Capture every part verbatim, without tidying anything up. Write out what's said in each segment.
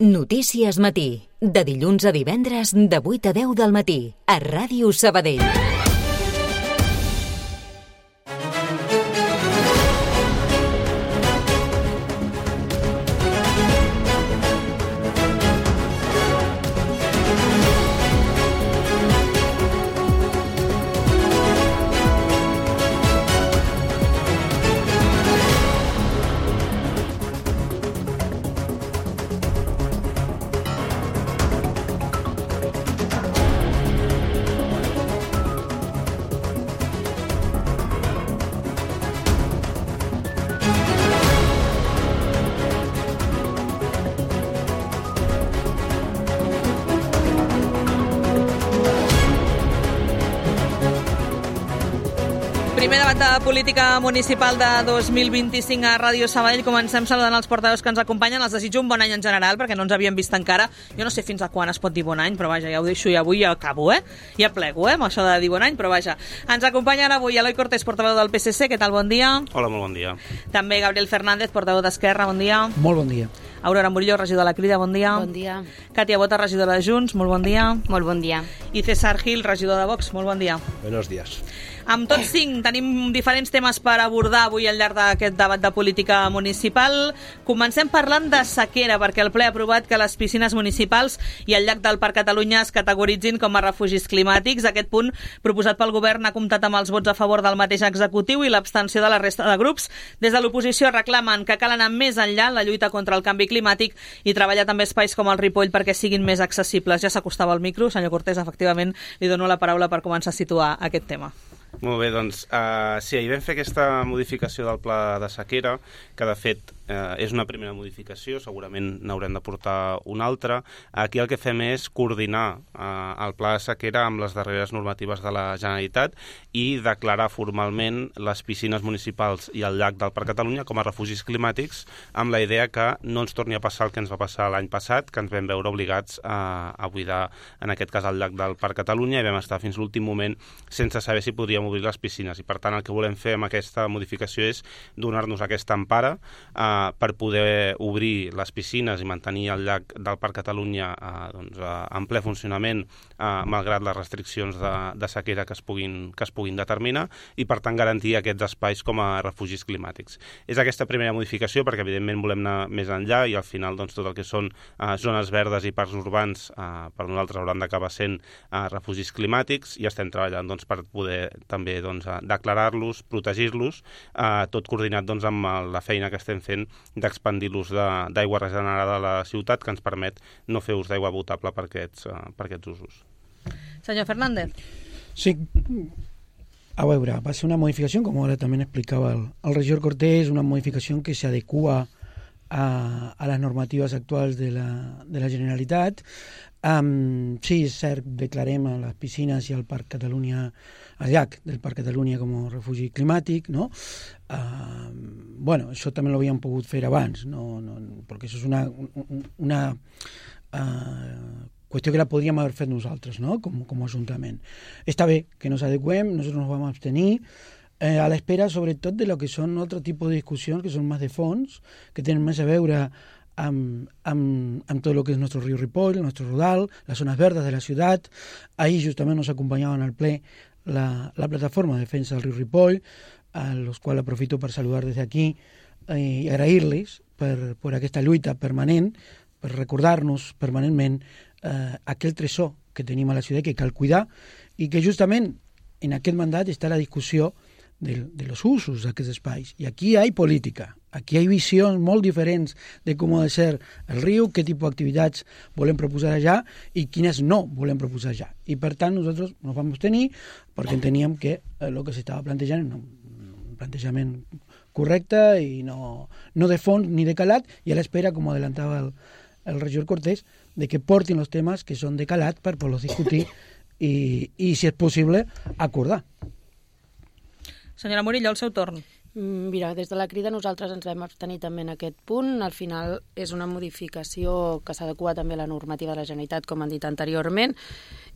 Notícies Matí, de dilluns a divendres de vuit a deu del matí, a Ràdio Sabadell. Primer debat de política municipal de dos mil vint-i-cinc a Ràdio Sabadell. Comencem saludant els portaveus que ens acompanyen. Els desitjo un bon any en general, perquè no ens havíem vist encara. Jo no sé fins a quan es pot dir bon any, però vaja, ja ho deixo i avui ja acabo, eh? Ja plego, eh, amb això de dir bon any, però vaja. Ens acompanyen avui Eloi Cortés, portaveu del P S C. Què tal? Bon dia. Hola, molt bon dia. També Gabriel Fernández, portaveu d'Esquerra. Bon dia. Molt bon dia. Aurora Murillo, regidor de la Crida. Bon dia. Bon dia. Katia Bota, regidora de Junts. Molt bon dia. Molt bon dia. I César Gil, regidor de Vox. Molt bon dia. Buenos días. Amb tots cinc tenim diferents temes per abordar avui al llarg d'aquest debat de política municipal. Comencem parlant de sequera, perquè el ple ha aprovat que les piscines municipals i el llac del Parc Catalunya es categoritzin com a refugis climàtics. Aquest punt, proposat pel govern, ha comptat amb els vots a favor del mateix executiu i l'abstenció de la resta de grups. Des de l'oposició reclamen que cal anar més enllà en la lluita contra el canvi climàtic i treballar també espais com el Ripoll perquè siguin més accessibles. Ja s'acostava al micro, senyor Cortés, efectivament, li dono la paraula per començar a situar aquest tema. Molt bé, doncs, uh, sí, ahir vam fer aquesta modificació del pla de sequera, que de fet uh, és una primera modificació, segurament n'haurem de portar una altra. Aquí el que fem és coordinar uh, el pla de sequera amb les darreres normatives de la Generalitat i declarar formalment les piscines municipals i el llac del Parc Catalunya com a refugis climàtics, amb la idea que no ens torni a passar el que ens va passar l'any passat, que ens vam veure obligats a, a buidar, en aquest cas, el llac del Parc Catalunya, i vam estar fins l'últim moment sense saber si podríem obrir les piscines, i per tant el que volem fer amb aquesta modificació és donar-nos aquesta empara eh, per poder obrir les piscines i mantenir el llac del Parc Catalunya eh, doncs, eh, en ple funcionament eh, malgrat les restriccions de, de sequera que es, puguin, que es puguin determinar, i per tant garantir aquests espais com a refugis climàtics. És aquesta primera modificació perquè evidentment volem anar més enllà i al final doncs, tot el que són eh, zones verdes i parcs urbans eh, per nosaltres hauran d'acabar sent eh, refugis climàtics, i estem treballant doncs, per poder també doncs, declarar-los, protegir-los, eh, tot coordinat doncs, amb la feina que estem fent d'expandir l'ús d'aigua regenerada a la ciutat, que ens permet no fer ús d'aigua potable per aquests, uh, per aquests usos. Senyor Fernández. Sí, a veure, va ser una modificació, com ara també explicava el, el regidor Cortés, una modificació que s'adequa a, a les normatives actuals de la, de la Generalitat. Um, sí, és cert, declarem a les piscines i al Parc Catalunya, al llac del Parc Catalunya com a refugi climàtic, no? Uh, bueno, això també l'havíem pogut fer abans, no, no, perquè això és una, una uh, qüestió que la podríem haver fet nosaltres, no? Com, com a Ajuntament. Està bé que nos adecuem, nosaltres nos vam abstenir, eh, a l'espera sobretot de lo que són altre tipus de discussions que són més de fons, que tenen més a veure Amb, amb, amb tot el que és nostre riu Ripoll, el nostre Rodal, les zones verdes de la ciutat. Ahir justament nos acompanyaven al ple la, la plataforma de defensa del riu Ripoll, a los quals aprofito per saludar des d'aquí eh, i agrair-los per, per aquesta lluita permanent, per recordar-nos permanentment eh, aquell tresor que tenim a la ciutat que cal cuidar, i que justament en aquest mandat està la discussió de, de los usos d'aquests espais. I aquí hi ha política. Aquí hi ha visions molt diferents de com ha de ser el riu, què tipus d'activitats volem proposar allà i quines no volem proposar allà. I per tant nosaltres ens vam abstenir perquè enteníem que el que s'estava plantejant era un plantejament correcte i no, no de fons ni de calat, i a l'espera, com adelantava el, el regidor Cortés, de que portin els temes que són de calat per poder discutir i, i si és possible, acordar. Senyora Murillo, el seu torn. Mira, des de la Crida nosaltres ens vam abstenir també en aquest punt. Al final és una modificació que s'adequa també a la normativa de la Generalitat, com han dit anteriorment,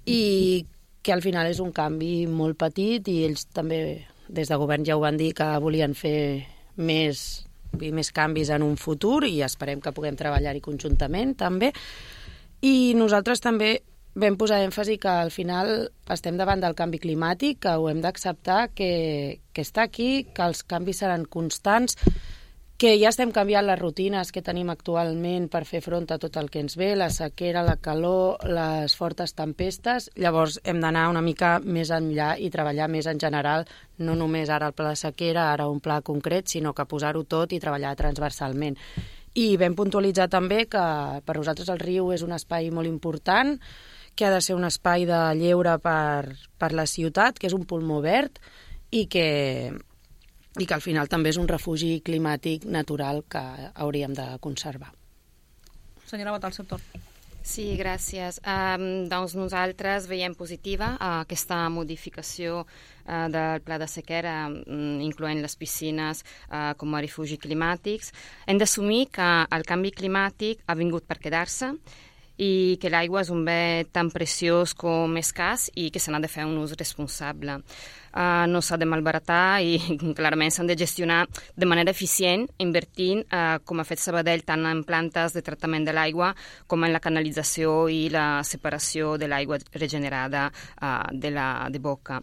i que al final és un canvi molt petit, i ells també des de govern ja ho van dir que volien fer més i més canvis en un futur i esperem que puguem treballar-hi conjuntament també. I nosaltres també vam posar èmfasi que al final estem davant del canvi climàtic, que ho hem d'acceptar, que, que està aquí, que els canvis seran constants, que ja estem canviant les rutines que tenim actualment per fer front a tot el que ens ve, la sequera, la calor, les fortes tempestes. Llavors hem d'anar una mica més enllà i treballar més en general, no només ara el pla de sequera, ara un pla concret, sinó que posar-ho tot i treballar transversalment. I vam puntualitzar també que per nosaltres el riu és un espai molt important, que ha de ser un espai de lleure per, per la ciutat, que és un pulmó verd i que... i que al final també és un refugi climàtic natural que hauríem de conservar. Senyora Bota, al seu torn. Sí, gràcies. Um, doncs nosaltres veiem positiva uh, aquesta modificació uh, del pla de sequera, um, incloent les piscines uh, com a refugi climàtics. Hem d'assumir que el canvi climàtic ha vingut per quedar-se i que l'aigua és un bé tan preciós com escàs i que se n'ha de fer un ús responsable. Uh, no s'ha de malbaratar i clarament s'han de gestionar de manera eficient, invertint, uh, com ha fet Sabadell, tant en plantes de tractament de l'aigua com en la canalització i la separació de l'aigua regenerada uh, de la de boca.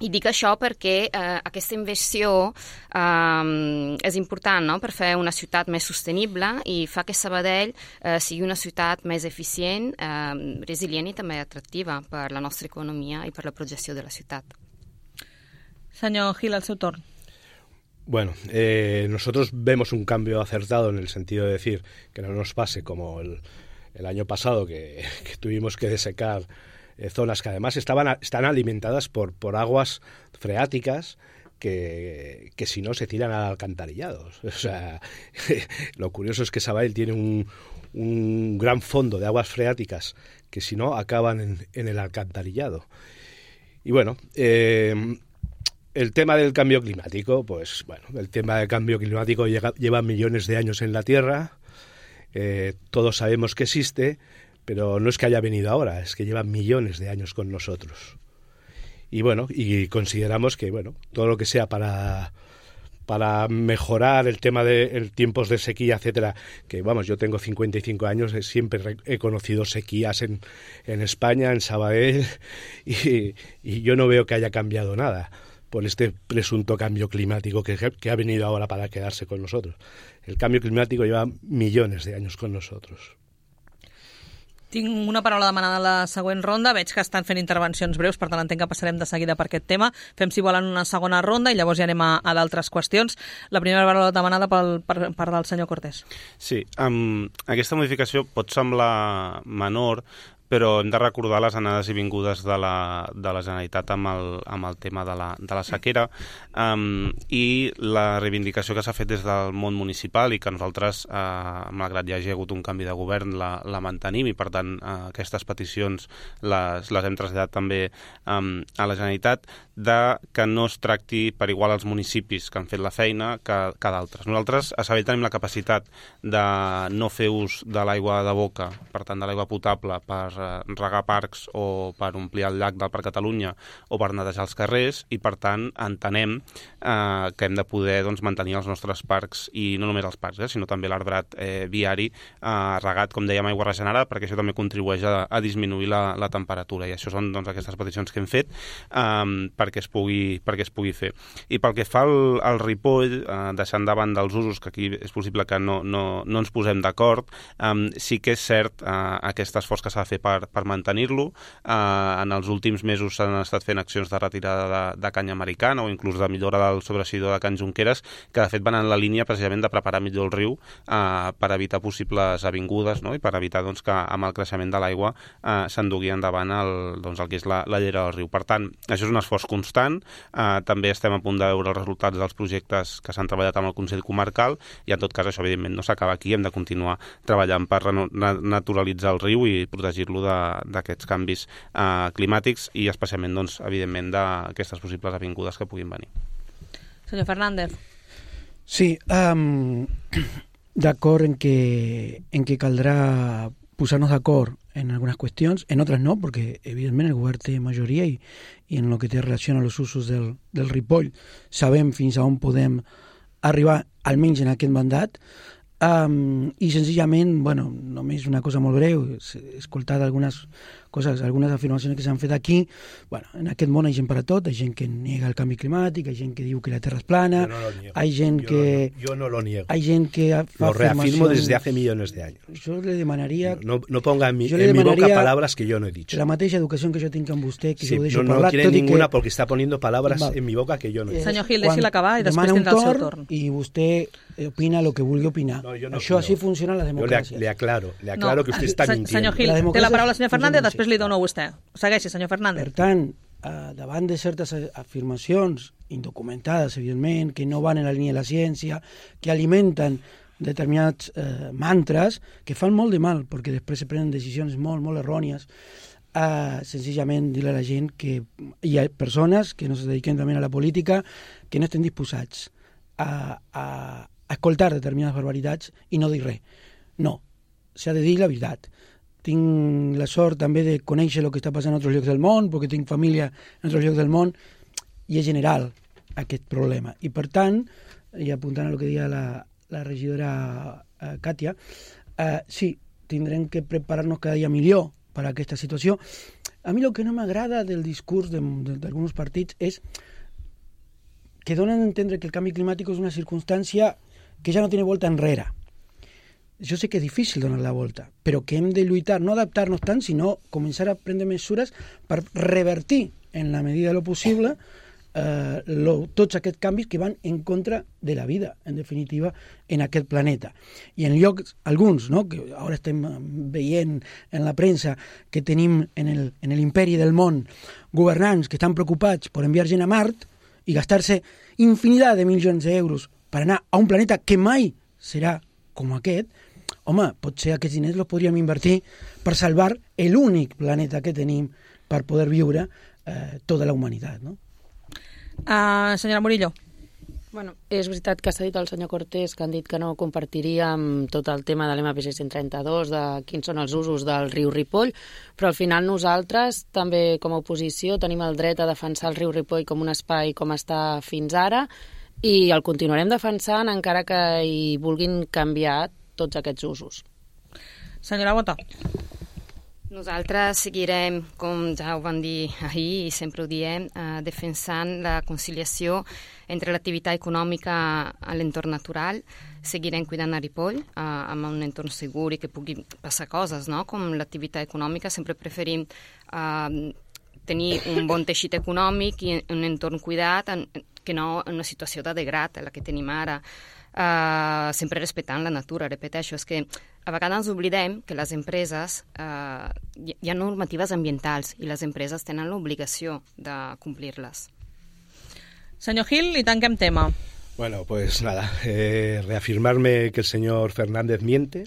I dic això perquè eh, aquesta inversió eh, és important, no?, per fer una ciutat més sostenible i fa que Sabadell eh, sigui una ciutat més eficient, eh, resilient i també atractiva per la nostra economia i per la projecció de la ciutat. Señor Gil, al seu torn. Bueno, eh, nosotros vemos un cambio acertado en el sentido de decir que no nos pase como el, el año pasado que, que tuvimos que desecar Eh, zonas que además estaban a, están alimentadas por, por aguas freáticas que, que si no se tiran al alcantarillado. O sea, lo curioso es que Sabadell tiene un, un gran fondo de aguas freáticas que si no acaban en, en el alcantarillado. Y bueno, eh, el tema del cambio climático, pues bueno, el tema del cambio climático llega, lleva millones de años en la Tierra, eh, todos sabemos que existe, pero no es que haya venido ahora, es que lleva millones de años con nosotros. Y bueno, y consideramos que bueno, todo lo que sea para, para mejorar el tema de el tiempos de sequía, etcétera, que vamos, yo tengo cincuenta y cinco años, siempre he conocido sequías en, en España, en Sabadell, y, y yo no veo que haya cambiado nada por este presunto cambio climático que, que ha venido ahora para quedarse con nosotros. El cambio climático lleva millones de años con nosotros. Tinc una paraula demanada a la següent ronda. Veig que estan fent intervencions breus, per tant entenc que passarem de seguida per aquest tema. Fem, si volen, una segona ronda i llavors ja anem a, a d'altres qüestions. La primera paraula demanada pel, per part del senyor Cortés. Sí, um, aquesta modificació pot semblar menor, però hem de recordar les anades i vingudes de la, de la Generalitat amb el, amb el tema de la, de la sequera um, i la reivindicació que s'ha fet des del món municipal i que nosaltres, uh, malgrat hi hagi hagut un canvi de govern, la, la mantenim i per tant uh, aquestes peticions les, les hem traslladat també um, a la Generalitat, de que no es tracti per igual als municipis que han fet la feina que, que d'altres. Nosaltres a Sabadell tenim la capacitat de no fer ús de l'aigua de boca, per tant de l'aigua potable, per regar parcs o per omplir el llac del Parc Catalunya o per netejar els carrers i per tant entenem eh, que hem de poder doncs, mantenir els nostres parcs i no només els parcs, eh, sinó també l'arbrat eh, viari eh, regat, com dèiem, aigua regenerada, perquè això també contribueix a, a disminuir la, la temperatura i això són doncs, aquestes peticions que hem fet eh, perquè, es pugui, perquè es pugui fer. I pel que fa al, al Ripoll, eh, deixant davant dels usos, que aquí és possible que no, no, no ens posem d'acord, eh, sí que és cert eh, aquest esforç que s'ha de fer per, per mantenir-lo. Eh, en els últims mesos s'han estat fent accions de retirada de, de canya americana o inclús de millora del sobresidor de Can Junqueras, que de fet van en la línia precisament de preparar millor el riu eh, per evitar possibles avingudes, no? I per evitar doncs, que amb el creixement de l'aigua eh, s'endugui endavant el, doncs, el que és la, la llera del riu. Per tant, això és un esforç constant. Eh, també estem a punt de veure els resultats dels projectes que s'han treballat amb el Consell Comarcal i en tot cas això evidentment no s'acaba aquí, hem de continuar treballant per naturalitzar el riu i protegir-lo d'aquests canvis eh, climàtics i especialment, doncs, evidentment, d'aquestes possibles avingudes que puguin venir. Senyor Fernández. Sí, um, d'acord en que, en que caldrà posar-nos d'acord en algunes qüestions, en altres no, perquè evidentment el govern té majoria i, i en el que té relació a els usos del, del Ripoll sabem fins a on podem arribar almenys en aquest mandat, um, i senzillament, bueno, només una cosa molt breu, he escoltat algunes coses, algunes afirmacions que s'han fet aquí. Bueno, en aquest món hi ha gent per a tot, hi ha gent que nega el canvi climàtic, hi ha gent que diu que la Terra és plana, no hay gent yo que... No, yo no lo niego. Hay gent que fa lo reafirmo afirmacions... desde hace millones de años. Yo le demanaría... No, no ponga en, mi, en mi boca palabras que yo no he dicho. La mateixa educació que jo tinc amb vostè, que sí, jo ho deixo no, no parlar... No quiere ninguna que... porque está poniendo palabras Val. en mi boca que yo no he dicho. Senyor Gil, deixi-la acabar i després tindrà el seu torn. I vostè opina el que vulgui opinar. No, no, Això no. Així funciona la democràcia. Yo le, le aclaro, le aclaro no, que usted está se, mintiendo. Senyor Gil, la té la paraula el senyor Fernández, funciona després li dono a vostè. Segueixi, senyor Fernández. Per tant, eh, davant de certes afirmacions indocumentades, evidentment, que no van en la línia de la ciència, que alimenten determinats eh, mantres, que fan molt de mal, perquè després se prenen decisions molt, molt errònies, eh, senzillament dir a la gent que hi ha persones que no se dediquen també a la política que no estem disposats a, a, a escoltar determinades barbaritats i no dir res. No, s'ha de dir la veritat. Tinc la sort també de conèixer el que està passant en altres llocs del món, perquè tinc família en altres llocs del món, i és general aquest problema. I per tant, i apuntant a el que deia la, la regidora eh, Katia, eh, sí, tindrem que preparar-nos cada dia millor per a aquesta situació. A mi el que no m'agrada del discurs d'alguns partits és que donen a entendre que el canvi climàtic és una circumstància que ja no tiene volta enrere. Jo sé que és difícil donar la volta, però que hem de lluitar, no adaptar-nos tant, sinó començar a prendre mesures per revertir, en la medida de lo possible, eh, lo, tots aquests canvis que van en contra de la vida, en definitiva, en aquest planeta. I en llocs, alguns, no?, que ara estem veient en la premsa que tenim en el, en l'imperi del món governants que estan preocupats per enviar gent a Mart i gastar-se infinitat de milions d'euros per anar a un planeta que mai serà com aquest, home, potser aquests diners els podríem invertir per salvar l'únic planeta que tenim per poder viure eh, tota la humanitat, no? Uh, senyora Murillo. Bueno, és veritat que s'ha dit el senyor Cortés, que han dit que no compartiríem tot el tema de l'M P C cent trenta-dos, de quins són els usos del riu Ripoll, però al final nosaltres, també com a oposició, tenim el dret a defensar el riu Ripoll com un espai com està fins ara, i el continuarem defensant encara que hi vulguin canviar tots aquests usos. Senyora Bota. Nosaltres seguirem, com ja ho vam dir ahir i sempre ho diem, eh, defensant la conciliació entre l'activitat econòmica a l'entorn natural. Seguirem cuidant a Ripoll eh, amb un entorn segur i que pugui passar coses, no? Com l'activitat econòmica. Sempre preferim eh, tenir un bon teixit econòmic i un entorn cuidat en, que no en una situació de degrad, la que tenim ara. Uh, sempre respectant la natura, repeteixo, és que a vegades ens oblidem que les empreses, uh, hi, hi ha normatives ambientals i les empreses tenen l'obligació de complir-les. Senyor Gil, i tanquem tema. Bueno, pues nada, eh, reafirmarme que el señor Fernández miente,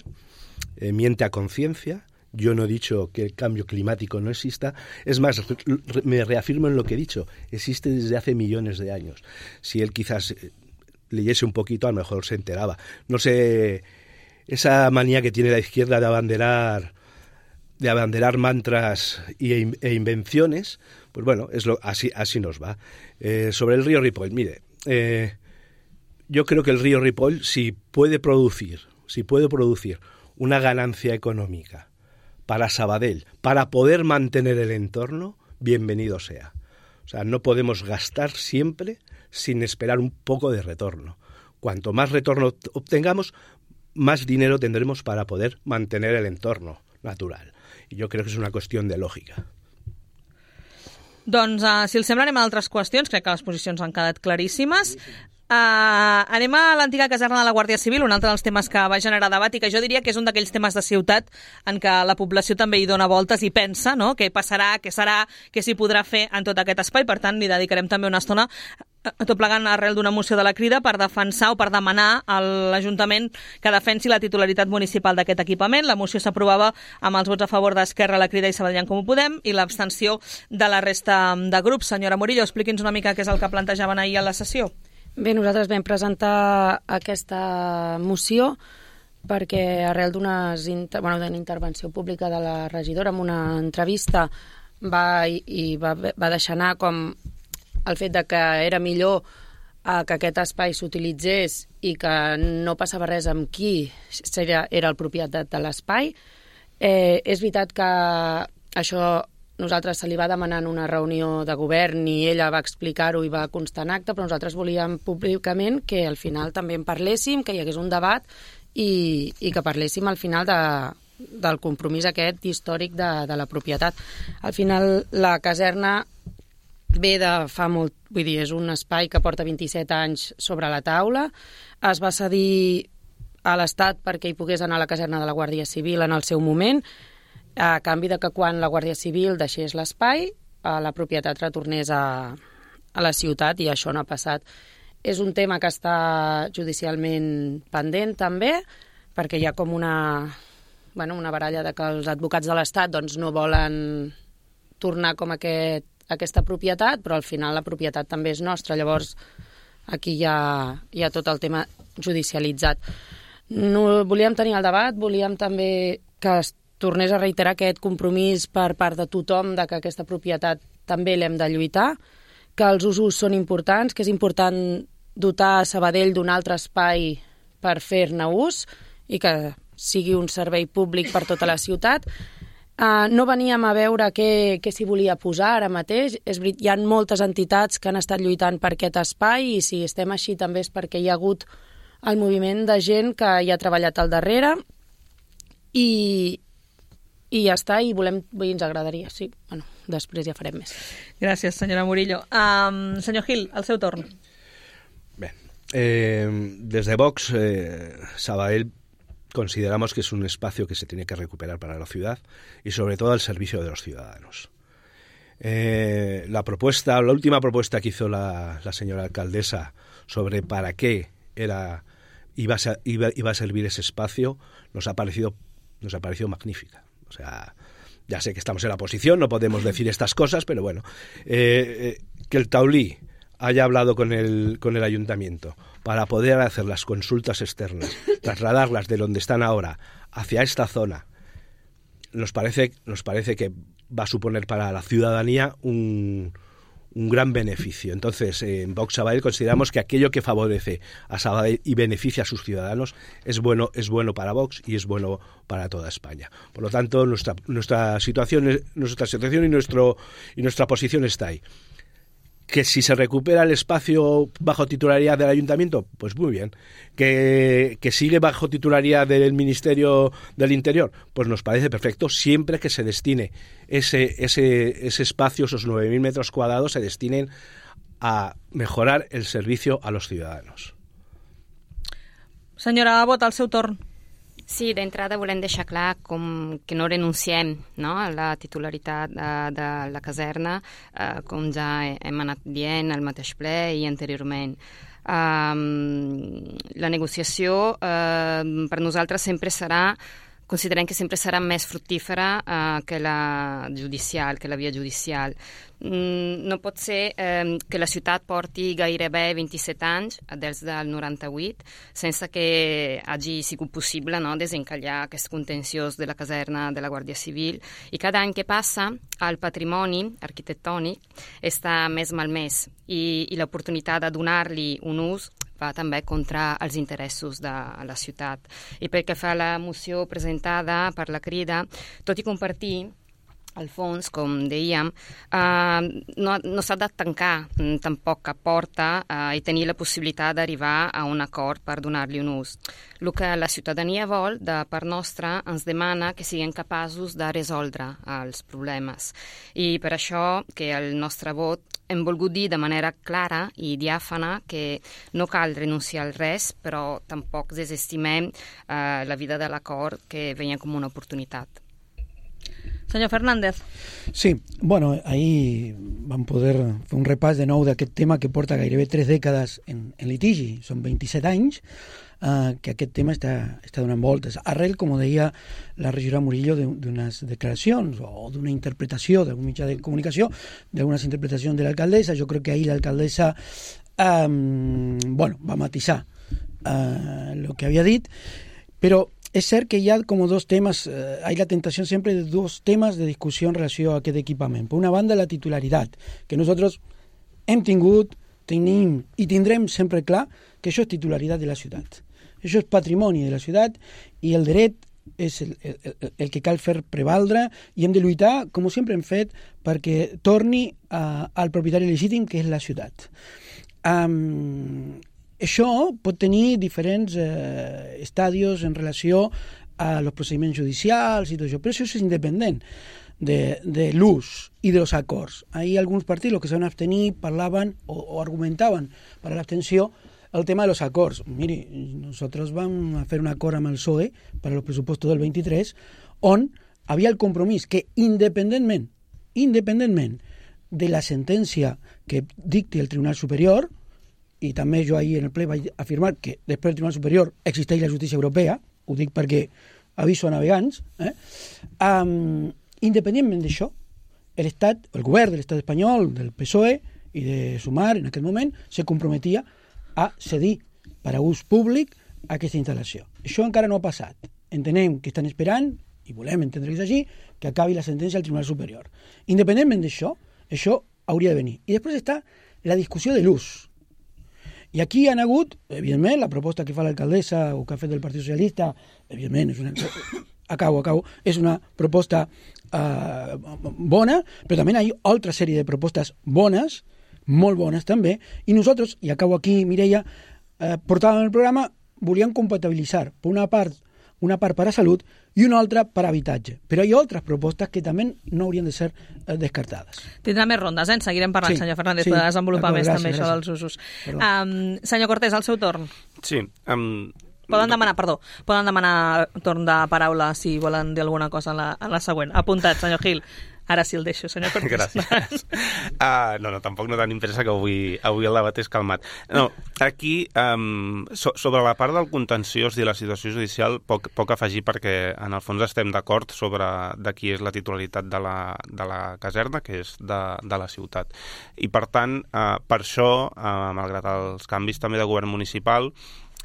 eh, miente a conciencia. Yo no he dicho que el cambio climático no exista. Es más, me reafirmo en lo que he dicho. Existe desde hace millones de años. Si él quizás leyese un poquito, a lo mejor se enteraba. No sé, esa manía que tiene la izquierda de abanderar, de abanderar mantras y, e invenciones, pues bueno, es lo, así, así nos va. Eh, sobre el río Ripoll, mire, eh, yo creo que el río Ripoll, si puede producir, si puede producir una ganancia económica para Sabadell, para poder mantener el entorno, bienvenido sea. O sea, no podemos gastar siempre sin esperar un poco de retorno. Cuanto más retorno obtengamos, más dinero tendremos para poder mantener el entorno natural. I jo crec que és una qüestió de lògica. Doncs, uh, si els sembla, anem a altres qüestions. Crec que les posicions han quedat claríssimes. Uh, anem a l'antiga caserna de la Guàrdia Civil, un altre dels temes que va generar debat i que jo diria que és un d'aquells temes de ciutat en què la població també hi dona voltes i pensa, no?, què passarà, què serà, què s'hi podrà fer en tot aquest espai. Per tant, li dedicarem també una estona tot plegant arrel d'una moció de la Crida per defensar o per demanar a l'Ajuntament que defensi la titularitat municipal d'aquest equipament. La moció s'aprovava amb els vots a favor d'Esquerra, la Crida i Sabadell en Comú Podem i l'abstenció de la resta de grups. Senyora Murillo, expliqui'ns una mica què és el que plantejaven ahir a la sessió. Bé, nosaltres vam presentar aquesta moció perquè arrel d'una inter... bueno, intervenció pública de la regidora en una entrevista va, i va, va deixar anar com el fet de que era millor a que aquest espai s'utilitzés i que no passava res amb qui era, era el propietari de l'espai. Eh, és veritat que això nosaltres se li va demanar en una reunió de govern i ella va explicar-ho i va constar en acte, però nosaltres volíem públicament que al final també en parléssim, que hi hagués un debat i, i que parléssim al final de, del compromís aquest històric de, de la propietat. Al final la caserna ve de fa molt, vull dir, és un espai que porta vint-i-set anys sobre la taula, es va cedir a l'Estat perquè hi pogués anar a la caserna de la Guàrdia Civil en el seu moment, a canvi de que quan la Guàrdia Civil deixés l'espai, la propietat retornés a, a la ciutat, i això no ha passat. És un tema que està judicialment pendent també, perquè hi ha com una, bueno, una baralla de que els advocats de l'Estat doncs, no volen tornar com aquest, aquesta propietat, però al final la propietat també és nostra. Llavors aquí hi ha, hi ha tot el tema judicialitzat. No, volíem tenir el debat, volíem també que es tornés a reiterar aquest compromís per part de tothom de que aquesta propietat també l'hem de lluitar, que els usos són importants, que és important dotar Sabadell d'un altre espai per fer-ne ús i que sigui un servei públic per tota la ciutat. Uh, no veníem a veure què, què s'hi volia posar ara mateix. És veritat, hi ha moltes entitats que han estat lluitant per aquest espai i si estem així també és perquè hi ha hagut el moviment de gent que hi ha treballat al darrere i, i ja està, i volem, i ens agradaria, sí. Bueno, després ja farem més. Gràcies, senyora Murillo. Um, senyor Gil, el seu torn. Bé, eh, desde Vox, eh, Sabadell consideramos que es un espacio que se tiene que recuperar para la ciudad y sobre todo al servicio de los ciudadanos. Eh, la propuesta, la última propuesta que hizo la, la señora alcaldesa sobre para qué era iba a, iba, iba a servir ese espacio nos ha parecido nos ha parecido magnífica. O sea, ya sé que estamos en la oposición, no podemos decir estas cosas, pero bueno, eh, eh, que el Taulí haya hablado con el, con el ayuntamiento para poder hacer las consultas externas, trasladarlas de donde están ahora hacia esta zona, nos parece, nos parece que va a suponer para la ciudadanía un, un gran beneficio. Entonces, eh, en Vox Sabadell consideramos que aquello que favorece a Sabadell y beneficia a sus ciudadanos es bueno, es bueno para Vox y es bueno para toda España. Por lo tanto, nuestra, nuestra situación, nuestra situación y, nuestro, y nuestra posición está ahí. Que si se recupera el espacio bajo titularidad del ayuntamiento, pues muy bien. Que, que sigue bajo titularidad del Ministerio del Interior, pues nos parece perfecto, siempre que se destine ese, ese, ese espacio, esos nueve mil metros cuadrados, se destinen a mejorar el servicio a los ciudadanos. Senyora Abbott, el seu torn. Sí, d'entrada volem deixar clar com que no renunciem, no?, a la titularitat de, de la caserna, eh, com ja hem anat dient al mateix ple i anteriorment. Um, la negociació uh, per nosaltres sempre serà, considerem que sempre serà més fructífera uh, que la judicial, que la via judicial. Mm, no pot ser eh, que la ciutat porti gairebé vint-i-set anys, des del noranta-vuit, sense que hagi sigut possible, no?, desencallar aquest contenciós de la caserna de la Guàrdia Civil. I cada any que passa, el patrimoni arquitectònic està més malmès i, i l'oportunitat de donar-li un ús va també contra els interessos de la ciutat. I pel que fa a la moció presentada per la Crida, tot i compartir al fons, com dèiem, eh, no, no s'ha de tancar tampoc cap porta eh, i tenir la possibilitat d'arribar a un acord per donar-li un ús. El que la ciutadania vol, de part nostra, ens demana que siguem capaços de resoldre els problemes. I per això que el nostre vot hem volgut dir de manera clara i diàfana que no cal renunciar al res, però tampoc desestimem eh, la vida de l'acord que veiem com una oportunitat. Senyor Fernández. Sí, bueno, ahí vam poder fer un repàs de nou d'aquest tema que porta gairebé tres dècades en, en litigi, són vint-i-set anys, eh, que aquest tema està, està donant voltes. Arrel, com deia la regidora Murillo, d'unes declaracions o d'una interpretació d'algun mitjà de comunicació, d'algunes interpretacions de l'alcaldessa. Jo crec que ahir l'alcaldessa eh, bueno, va matisar eh, lo que havia dit, però es cert que hi ha com dos temes, eh, hay la tentació sempre de dos temes de discussió en relació a aquest equipament. Per una banda, la titularitat, que nosaltres hem tingut tenim i tindrem sempre clar que això és titularitat de la ciutat. Això és patrimoni de la ciutat i el dret és el, el, el que cal fer prevaldre i hem de lluitar, com sempre hem fet, perquè torni a, al propietari legítim, que és la ciutat. Um, això pot tenir diferents eh, estadios en relació a los procediments judicials i tot això, però això és independent de, de l'ús i dels acords. Ahí alguns partits que se van abstenir parlaven o, o argumentaven per a l'abstenció el tema de los acords. Mire, nosotros vamos a hacer un acord amb el P S O E para los presupuestos del veintitrés, on havia el compromís que independentment, independentment de la sentència que dicti el Tribunal Superior, i també jo ahir en el ple vaig afirmar que després del Tribunal Superior existeix la justícia europea, ho dic perquè aviso a navegants, eh? um, independentment d'això, l'Estat, el govern de l'Estat espanyol, del P S O E i de Sumar, en aquest moment, se comprometia a cedir per a ús públic aquesta instal·lació. Això encara no ha passat. Entenem que estan esperant, i volem entendre que és així, que acabi la sentència al Tribunal Superior. Independentment d'això, això hauria de venir. I després està la discussió de l'ús. I aquí han hagut, evidentment, la proposta que fa l'alcaldessa o que ha fet el Partit Socialista, evidentment, és una... acabo, acabo, és una proposta eh, bona, però també hi ha altra sèrie de propostes bones, molt bones també, i nosaltres, i acabo aquí, Mireia, eh, portàvem el programa, volíem compatibilitzar, per una part, una part per a salut i una altra per a habitatge. Però hi ha altres propostes que també no haurien de ser eh, descartades. Tindrà més rondes, eh? En seguirem parlant, sí, senyor Fernández, sí, per desenvolupar més gràcies, també gràcies. Això dels usos. Um, senyor Cortés, al seu torn. Sí. Um, poden demanar, perdó, poden demanar torn de paraula si volen dir alguna cosa en la, en la següent. Apuntat, senyor Gil. Ara sí el deixo, senyor Cortés. Gràcies. Uh, no, no, tampoc no tenim pressa, que avui, avui el debat és calmat. No, aquí, um, so, sobre la part del contenciós i la situació judicial, poc, poc afegir, perquè en el fons estem d'acord sobre de qui és la titularitat de la, de la caserna, que és de, de la ciutat. I per tant, uh, per això, uh, malgrat els canvis també de govern municipal,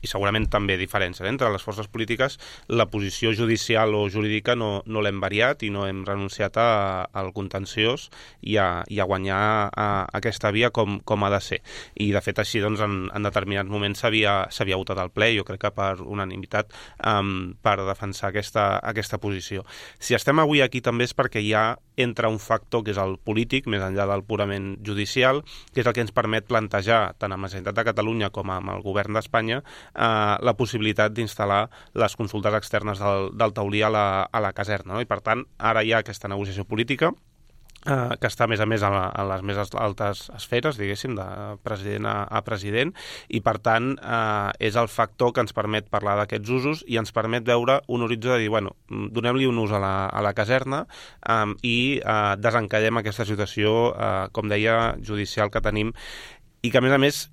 i segurament també diferències entre les forces polítiques, la posició judicial o jurídica no, no l'hem variat i no hem renunciat a, al contenciós i a, i a guanyar a, a aquesta via com, com ha de ser. I de fet així doncs, en, en determinats moments s'havia votat al ple, jo crec que per unanimitat, um, per defensar aquesta, aquesta posició. Si estem avui aquí també és perquè hi ha entra un factor que és el polític, més enllà del purament judicial, que és el que ens permet plantejar, tant amb la Generalitat de Catalunya com amb el govern d'Espanya, eh, la possibilitat d'instal·lar les consultes externes del, del taulí a la, a la caserna. No? I per tant, ara hi ha aquesta negociació política, Uh, que està a més a més a, la, a les més altes esferes, diguéssim, de president a, a president, i per tant uh, és el factor que ens permet parlar d'aquests usos i ens permet veure un horitzó de dir, bueno, donem-li un ús a la, a la caserna um, i uh, desencallem aquesta situació, uh, com deia, judicial que tenim, i que a més a més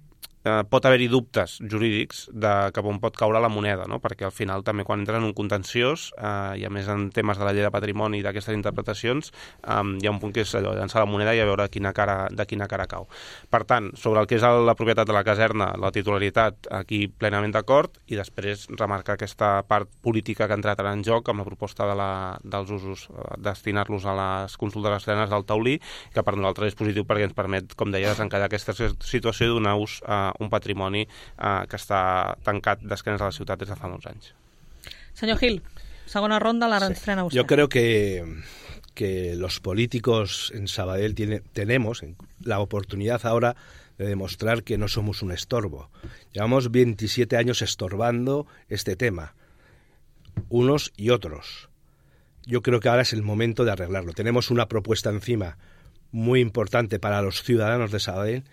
Eh, pot haver-hi dubtes jurídics de cap on pot caure la moneda, no? Perquè al final també quan entres en un contenciós eh, i a més en temes de la llei de patrimoni i d'aquestes interpretacions eh, hi ha un punt que és allò, llançar la moneda i a veure quina cara, de quina cara cau. Per tant, sobre el que és la propietat de la caserna, la titularitat, aquí plenament d'acord, i després remarcar aquesta part política que ha entrat ara en joc amb la proposta de la, dels usos, eh, destinar-los a les consultes externes del taulí, que per nosaltres és positiu perquè ens permet, com deia, desencallar aquesta situació i donar ús a un patrimoni eh, que està tancat d'esquenes a la ciutat des de fa molts anys. Senyor Gil, segona ronda, la restrena usted. Yo creo que, que los políticos en Sabadell tiene, tenemos la oportunidad ahora de demostrar que no somos un estorbo. Llevamos veintisiete años estorbando este tema, unos y otros. Yo creo que ahora es el momento de arreglarlo. Tenemos una propuesta encima muy importante para los ciudadanos de Sabadell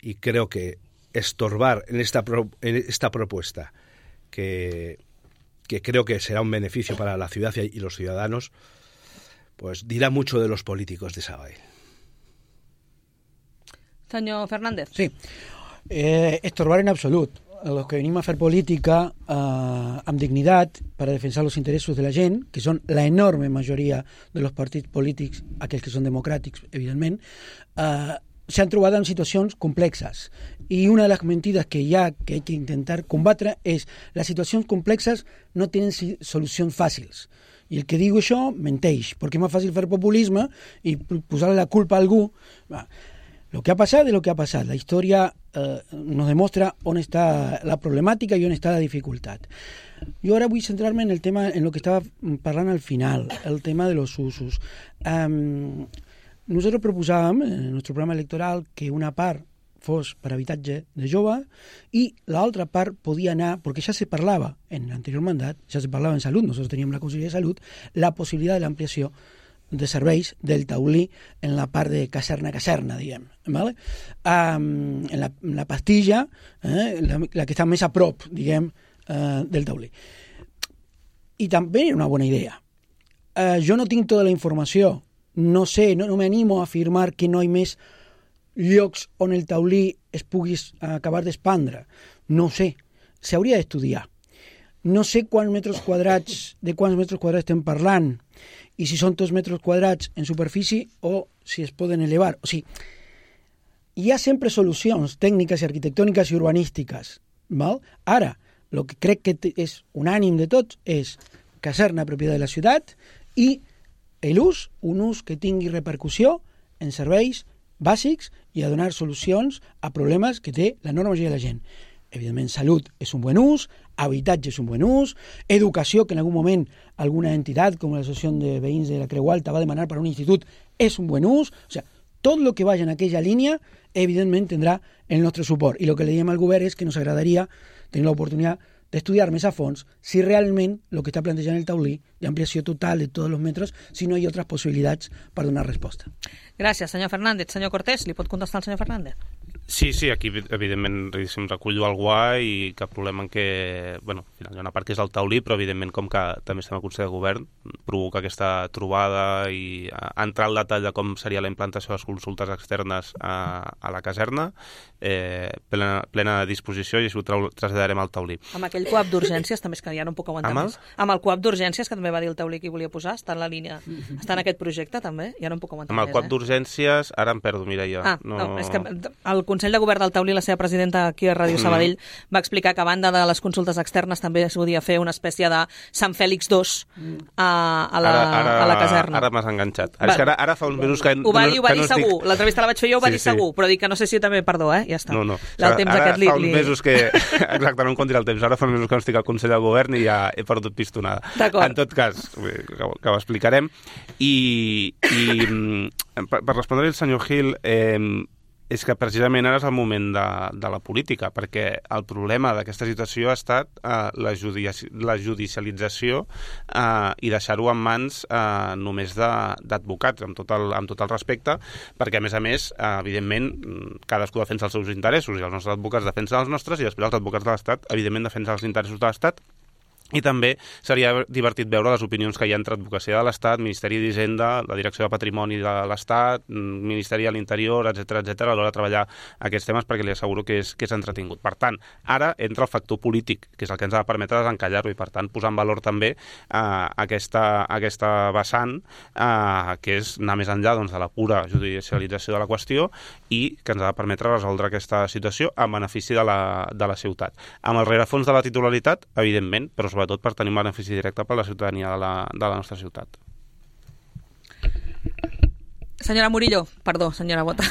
y creo que estorbar en esta, pro, en esta propuesta que, que creo que será un beneficio para la ciudad y los ciudadanos, pues dirá mucho de los políticos de Sabadell. Senyor Fernández. Sí, eh, estorbar en absolut. Els que venim a fer política eh, amb dignitat per a defensar els interessos de la gent, que són la enorme majoria de los partits polítics, aquells que són democràtics, evidentment, eh, s'han trobat en situacions complexes. I una de les mentides que hi ha que hay que intentar combatre és les situacions complexes no tenen solucions fàcils. I el que diu això menteix, perquè és més fàcil fer populisme i posar la culpa a algú. Lo que ha pasado es lo que ha pasado. La historia eh, nos demuestra dónde está la problemática y dónde está la dificultad. Yo ahora voy a centrarme en el tema, en lo que estaba hablando al final, el tema de los usos. Um, nosotros proposábamos en nuestro programa electoral que una part fos per habitatge de jove i l'altra part podia anar, perquè ja se parlava en l'anterior mandat, ja se parlava en salut, nosotros teníem la Conselleria de Salut, la possibilitat de l'ampliació de serveis del taulí en la part de caserna-caserna, diguem, ¿vale? Um, en, la, en la pastilla, eh, la, la que està més a prop, diguem, uh, del taulí. I també era una bona idea. Uh, jo no tinc tota la informació, no sé, no, no m'animo a afirmar que no hi més llocs on el taulí es pugui acabar d'expandre. No ho sé, s'hauria d'estudiar. No sé quants metres quadrats, de quants metres quadrats estem parlant, i si són tots metres quadrats en superfície o si es poden elevar. O sigui, hi ha sempre solucions tècniques i arquitectòniques i urbanístiques. Val? Ara, el que crec que és unànim de tots és caserna propietat de la ciutat i l'ús, un ús que tingui repercussió en serveis bàsics i a donar solucions a problemes que té la enorme majoria de la gent. Evidentment, salut és un bon ús, habitatge és un bon ús, educació, que en algun moment alguna entitat com l'Associació de Veïns de la Creu Alta va demanar per a un institut, és un bon ús. O sigui, tot el que vagi en aquella línia, evidentment, tindrà el nostre suport. I el que li diem al govern és que nos agradaria tenir l'oportunitat d'estudiar més a fons si realment el que està plantejant el taulí d'ampliació total de tots els metres, si no hi ha altres possibilitats per donar resposta. Gràcies, senyor Fernández. Senyor Cortés, li pot contestar el senyor Fernández? Sí, sí, aquí evidentment em recullo el guà i cap problema en què, bueno, al final hi ha una part que és el taulí, però evidentment com que també estem al Consell de Govern, provoca aquesta trobada i entrar al detall de com seria la implantació de les consultes externes a, a la caserna, eh, plena, plena disposició i això ho traslladarem al taulí. Amb aquell coap d'urgències també és que ja no em puc aguantar més. Amb el coap d'urgències que també va dir el taulí que hi volia posar, està en la línia, està en aquest projecte també, ja no em puc aguantar més. Amb el coap d'urgències, ara em perdo, Mireia. Ah, no, és que el Consell de Govern del Taulí, la seva presidenta aquí a Ràdio Sabadell, mm. va explicar que a banda de les consultes externes també es podia fer una espècie de Sant Fèlix dos a, a, la, ara, ara, a la caserna. Ara m'has enganxat. Ara, és que ara, ara fa uns mesos que... Ho va dir, ho va dir no segur. estic... L'entrevista la vaig fer jo, ho va sí, dir segur, sí. Però dic que no sé si també, perdó, eh? Ja està. No, no. El temps ara aquest li... fa uns mesos que... Exacte, no em compti el temps. Ara fa uns mesos que no estic al Consell de Govern i ja he perdut pistonada. En tot cas, que, que ho explicarem. I, i per, per respondre al senyor Gil, eh, és que precisament ara és el moment de, de la política, perquè el problema d'aquesta situació ha estat eh, la, judici la judicialització eh, i deixar-ho en mans eh, només d'advocats, amb, tot el, amb tot el respecte, perquè a més a més, eh, evidentment, cadascú defensa els seus interessos i els nostres advocats defensen els nostres i després els advocats de l'Estat, evidentment, defensen els interessos de l'Estat. I també seria divertit veure les opinions que hi ha entre Advocacia de l'Estat, Ministeri d'Hisenda, la Direcció de Patrimoni de l'Estat, Ministeri de l'Interior, etcètera, etcètera, a l'hora de treballar aquests temes, perquè li asseguro que és, que és entretingut. Per tant, ara entra el factor polític, que és el que ens ha de permetre desencallar-ho, i per tant posar en valor també eh, aquesta, aquesta vessant, eh, que és anar més enllà doncs, de la pura judicialització de la qüestió i que ens ha de permetre resoldre aquesta situació en benefici de la, de la ciutat. Amb el rerefons de la titularitat, evidentment, però sobretot per tenir un benefici directe per a la ciutadania de la, de la nostra ciutat. Senyora Murillo, perdó, senyora Bota.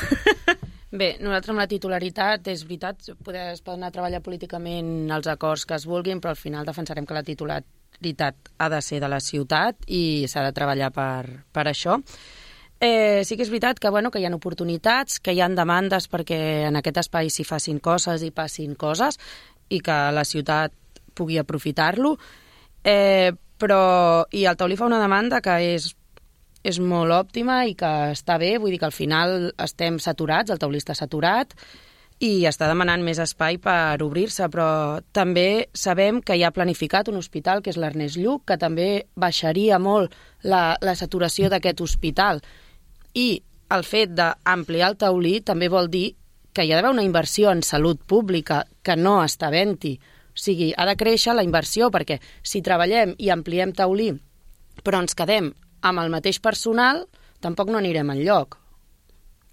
Bé, nosaltres amb la titularitat, és veritat, poder, es poden anar a treballar políticament els acords que es vulguin, però al final defensarem que la titularitat ha de ser de la ciutat i s'ha de treballar per, per això. Eh, sí que és veritat que, bueno, que hi ha oportunitats, que hi ha demandes perquè en aquest espai s'hi facin coses i passin coses i que la ciutat pugui aprofitar-lo, eh, però i el taulí fa una demanda que és, és molt òptima i que està bé, vull dir que al final estem saturats, el taulí està saturat i està demanant més espai per obrir-se, però també sabem que hi ha planificat un hospital que és l'Ernest Lluch, que també baixaria molt la, la saturació d'aquest hospital, i el fet d'ampliar el taulí també vol dir que hi ha d'haver una inversió en salut pública que no està havent-hi. O sigui, ha de créixer la inversió, perquè si treballem i ampliem taulí però ens quedem amb el mateix personal, tampoc no anirem enlloc.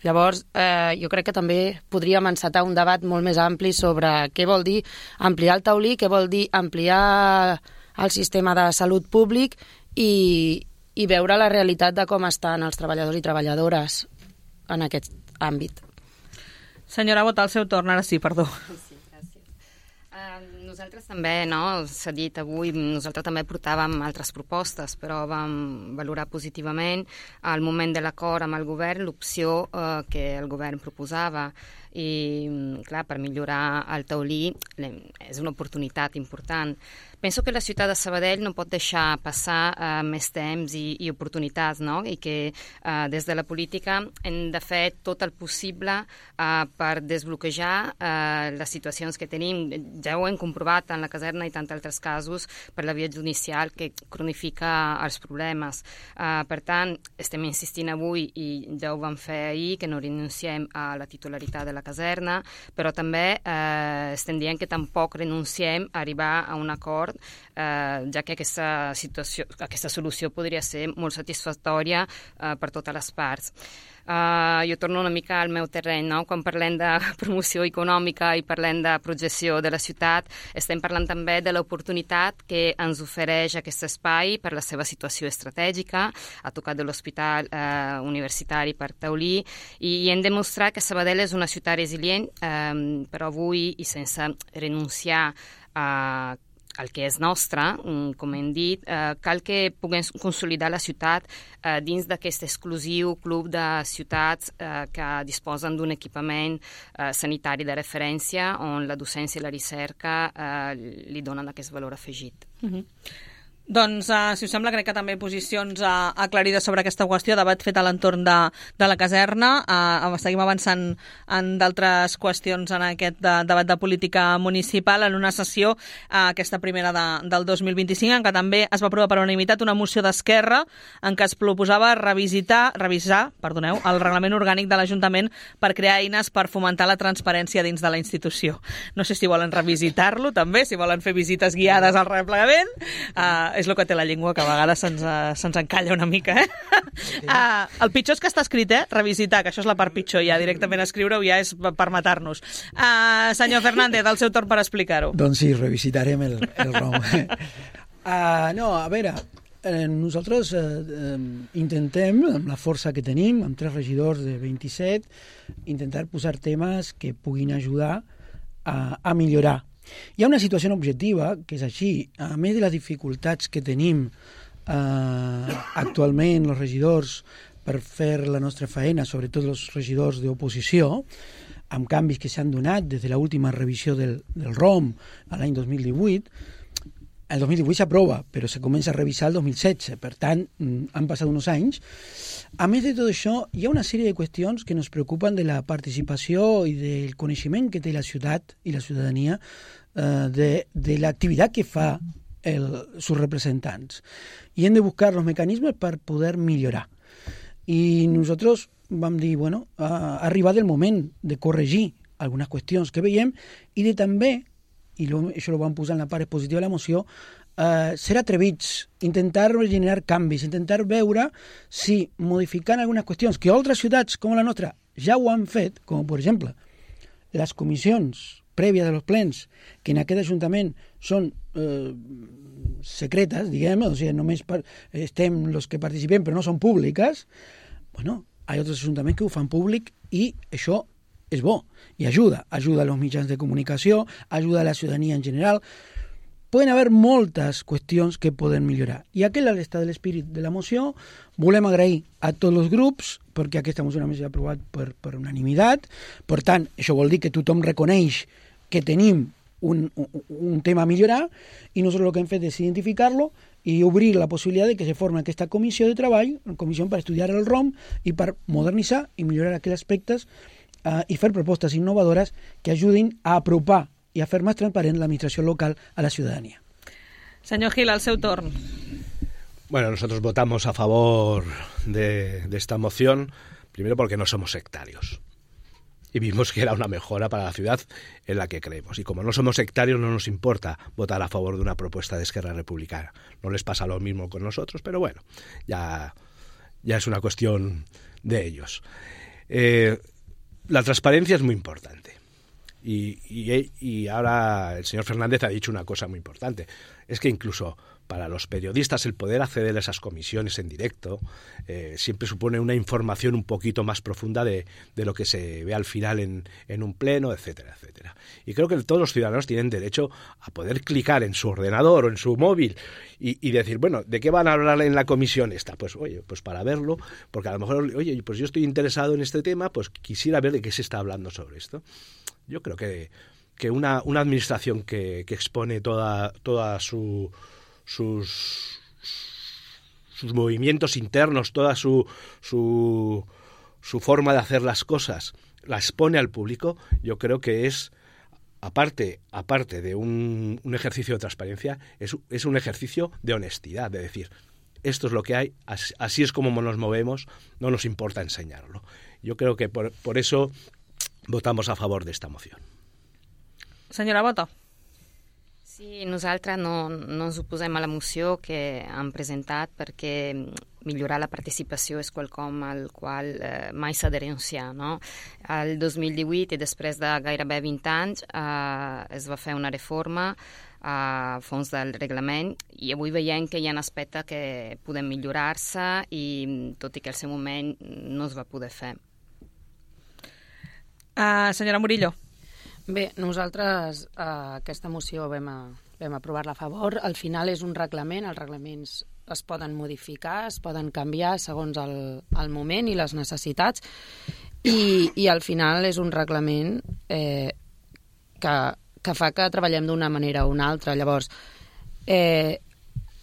Llavors, eh, jo crec que també podríem encetar un debat molt més ampli sobre què vol dir ampliar el taulí, què vol dir ampliar el sistema de salut públic i, i veure la realitat de com estan els treballadors i treballadores en aquest àmbit. Senyora Bota, al seu torn, ara sí, perdó. Sí, gràcies. Uh, nosaltres també, no? S'ha dit avui, nosaltres també portàvem altres propostes, però vam valorar positivament al moment de l'acord amb el govern l'opció uh, que el govern proposava. I, clar, per millorar el taulí és una oportunitat important. Penso que la ciutat de Sabadell no pot deixar passar uh, més temps i, i oportunitats, no? I que uh, des de la política hem de fer tot el possible uh, per desbloquejar uh, les situacions que tenim. Ja ho hem comprovat en la caserna i tant altres casos per la via judicial que cronifica els problemes. Uh, per tant, estem insistint avui i ja ho vam fer ahir, que no renunciem a la titularitat de la caserna, però també eh, estem dient que tampoc renunciem a arribar a un acord, eh, ja que aquesta, situació, aquesta solució podria ser molt satisfactòria eh, per totes les parts. Uh, jo torno una mica al meu terreny, no? Quan parlem de promoció econòmica i parlem de projecció de la ciutat, estem parlant també de l'oportunitat que ens ofereix aquest espai per la seva situació estratègica, a tocar de l'hospital eh, universitari per Taulí, i, i hem demostrat que Sabadell és una ciutat resilient, eh, però avui, i sense renunciar a el que és nostre, com hem dit, eh, cal que puguem consolidar la ciutat eh, dins d'aquest exclusiu club de ciutats eh, que disposen d'un equipament eh, sanitari de referència on la docència i la recerca eh, li donen aquest valor afegit. Mm-hmm. Doncs, uh, si us sembla, crec que també posicions uh, aclarides sobre aquesta qüestió, debat fet a l'entorn de, de la caserna. Uh, seguim avançant en d'altres qüestions en aquest de, debat de política municipal en una sessió, uh, aquesta primera de, del dos mil vint-i-cinc, en què també es va aprovar per unanimitat una moció d'Esquerra en què es proposava revisitar, revisar perdoneu, el reglament orgànic de l'Ajuntament per crear eines per fomentar la transparència dins de la institució. No sé si volen revisitar-lo també, si volen fer visites guiades al replegament. Uh, és el que té la llengua, que a vegades se'ns, se'ns encalla una mica, eh? Sí. Uh, el pitjor és que està escrit, eh? Revisitar, que això és la part pitjor, ja directament escriure-ho ja és per matar-nos. Uh, senyor Fernández, el seu torn per explicar-ho. Doncs sí, revisitarem el, el ROM. uh, no, a veure, eh, nosaltres eh, eh, intentem, amb la força que tenim, amb tres regidors de vint-i-set, intentar posar temes que puguin ajudar a, a millorar. Hi ha una situació objectiva, que és així. A més de les dificultats que tenim eh, actualment els regidors per fer la nostra feina, sobretot els regidors d'oposició, amb canvis que s'han donat des de l'última revisió del, del ROM a l'any dos mil divuit, el dos mil divuit s'aprova, però se comença a revisar el dos mil setze, per tant, han passat uns anys. A més de tot això, hi ha una sèrie de qüestions que ens preocupen de la participació i del coneixement que té la ciutat i la ciutadania eh, de, de l'activitat que fa el, sus representants. I hem de buscar els mecanismes per poder millorar. I nosaltres vam dir, bueno, ha arribat el moment de corregir algunes qüestions que veiem i de també, i lo, això ho vam posar en la part expositiva de la moció, eh, ser atrevits, intentar generar canvis, intentar veure si modificant algunes qüestions que altres ciutats com la nostra ja ho han fet, com per exemple les comissions prèvies dels plens, que en aquest Ajuntament són eh, secretes, diguem, o sigui, només per, estem els que participem però no són públiques, bueno, hi ha altres ajuntaments que ho fan públic i això és bo i ajuda, ajuda a los mitjans de comunicació, ajuda a la ciutadania en general. Poden haver moltes qüestions que poden millorar. I aquest és l'estat de l'espírit de la moció. Volem agrair a tots els grups, perquè aquesta moció només s'ha aprovat per, per unanimitat. Per tant, això vol dir que tothom reconeix que tenim un, un, un tema a millorar i nosaltres el que hem fet és identificar-lo i obrir la possibilitat de que se formi aquesta comissió de treball, una comissió per estudiar el ROM i per modernitzar i millorar aquells aspectes Uh, i fer propostes innovadores que ajudin a apropar i a fer més transparent l'administració local a la ciudadanía. Senyor Gil, al seu torn. Bueno, nosotros votamos a favor de, de esta moción, primero porque no somos sectarios. Y vimos que era una mejora para la ciudad en la que creemos. Y como no somos sectarios, no nos importa votar a favor de una propuesta de Esquerra Republicana. No les pasa lo mismo con nosotros, pero bueno, ya, ya es una cuestión de ellos. Eh, La transparencia es muy importante y, y, y ahora el señor Fernández ha dicho una cosa muy importante, es que incluso para los periodistas el poder acceder a esas comisiones en directo eh, siempre supone una información un poquito más profunda de, de lo que se ve al final en, en un pleno, etcétera, etcétera. Y creo que todos los ciudadanos tienen derecho a poder clicar en su ordenador o en su móvil y, y decir, bueno, ¿de qué van a hablar en la comisión esta? Pues oye, pues para verlo, porque a lo mejor, oye, pues yo estoy interesado en este tema, pues quisiera ver de qué se está hablando sobre esto. Yo creo que, que una, una administración que, que expone toda, toda su, sus, sus movimientos internos, toda su, su, su forma de hacer las cosas, la expone al público, yo creo que es, aparte, aparte de un, un ejercicio de transparencia, es, es un ejercicio de honestidad, de decir, esto es lo que hay, así, así es como nos movemos, no nos importa enseñarlo. Yo creo que por, por eso votamos a favor de esta moción. Senyora Bota. Sí, nosaltres no, no ens oposem a la moció que han presentat perquè millorar la participació és quelcom al qual eh, mai s'ha de renunciar, no? El dos mil divuit i després de gairebé vint anys eh, es va fer una reforma a fons del reglament i avui veiem que hi ha aspectes que poden millorar-se i tot i que al seu moment no es va poder fer. Uh, senyora Murillo. Bé, nosaltres uh, aquesta moció vam, a, vam aprovar-la a favor. Al final és un reglament, els reglaments es poden modificar, es poden canviar segons el, el moment i les necessitats i, i al final és un reglament eh, que, que fa que treballem d'una manera o una altra. Llavors, eh,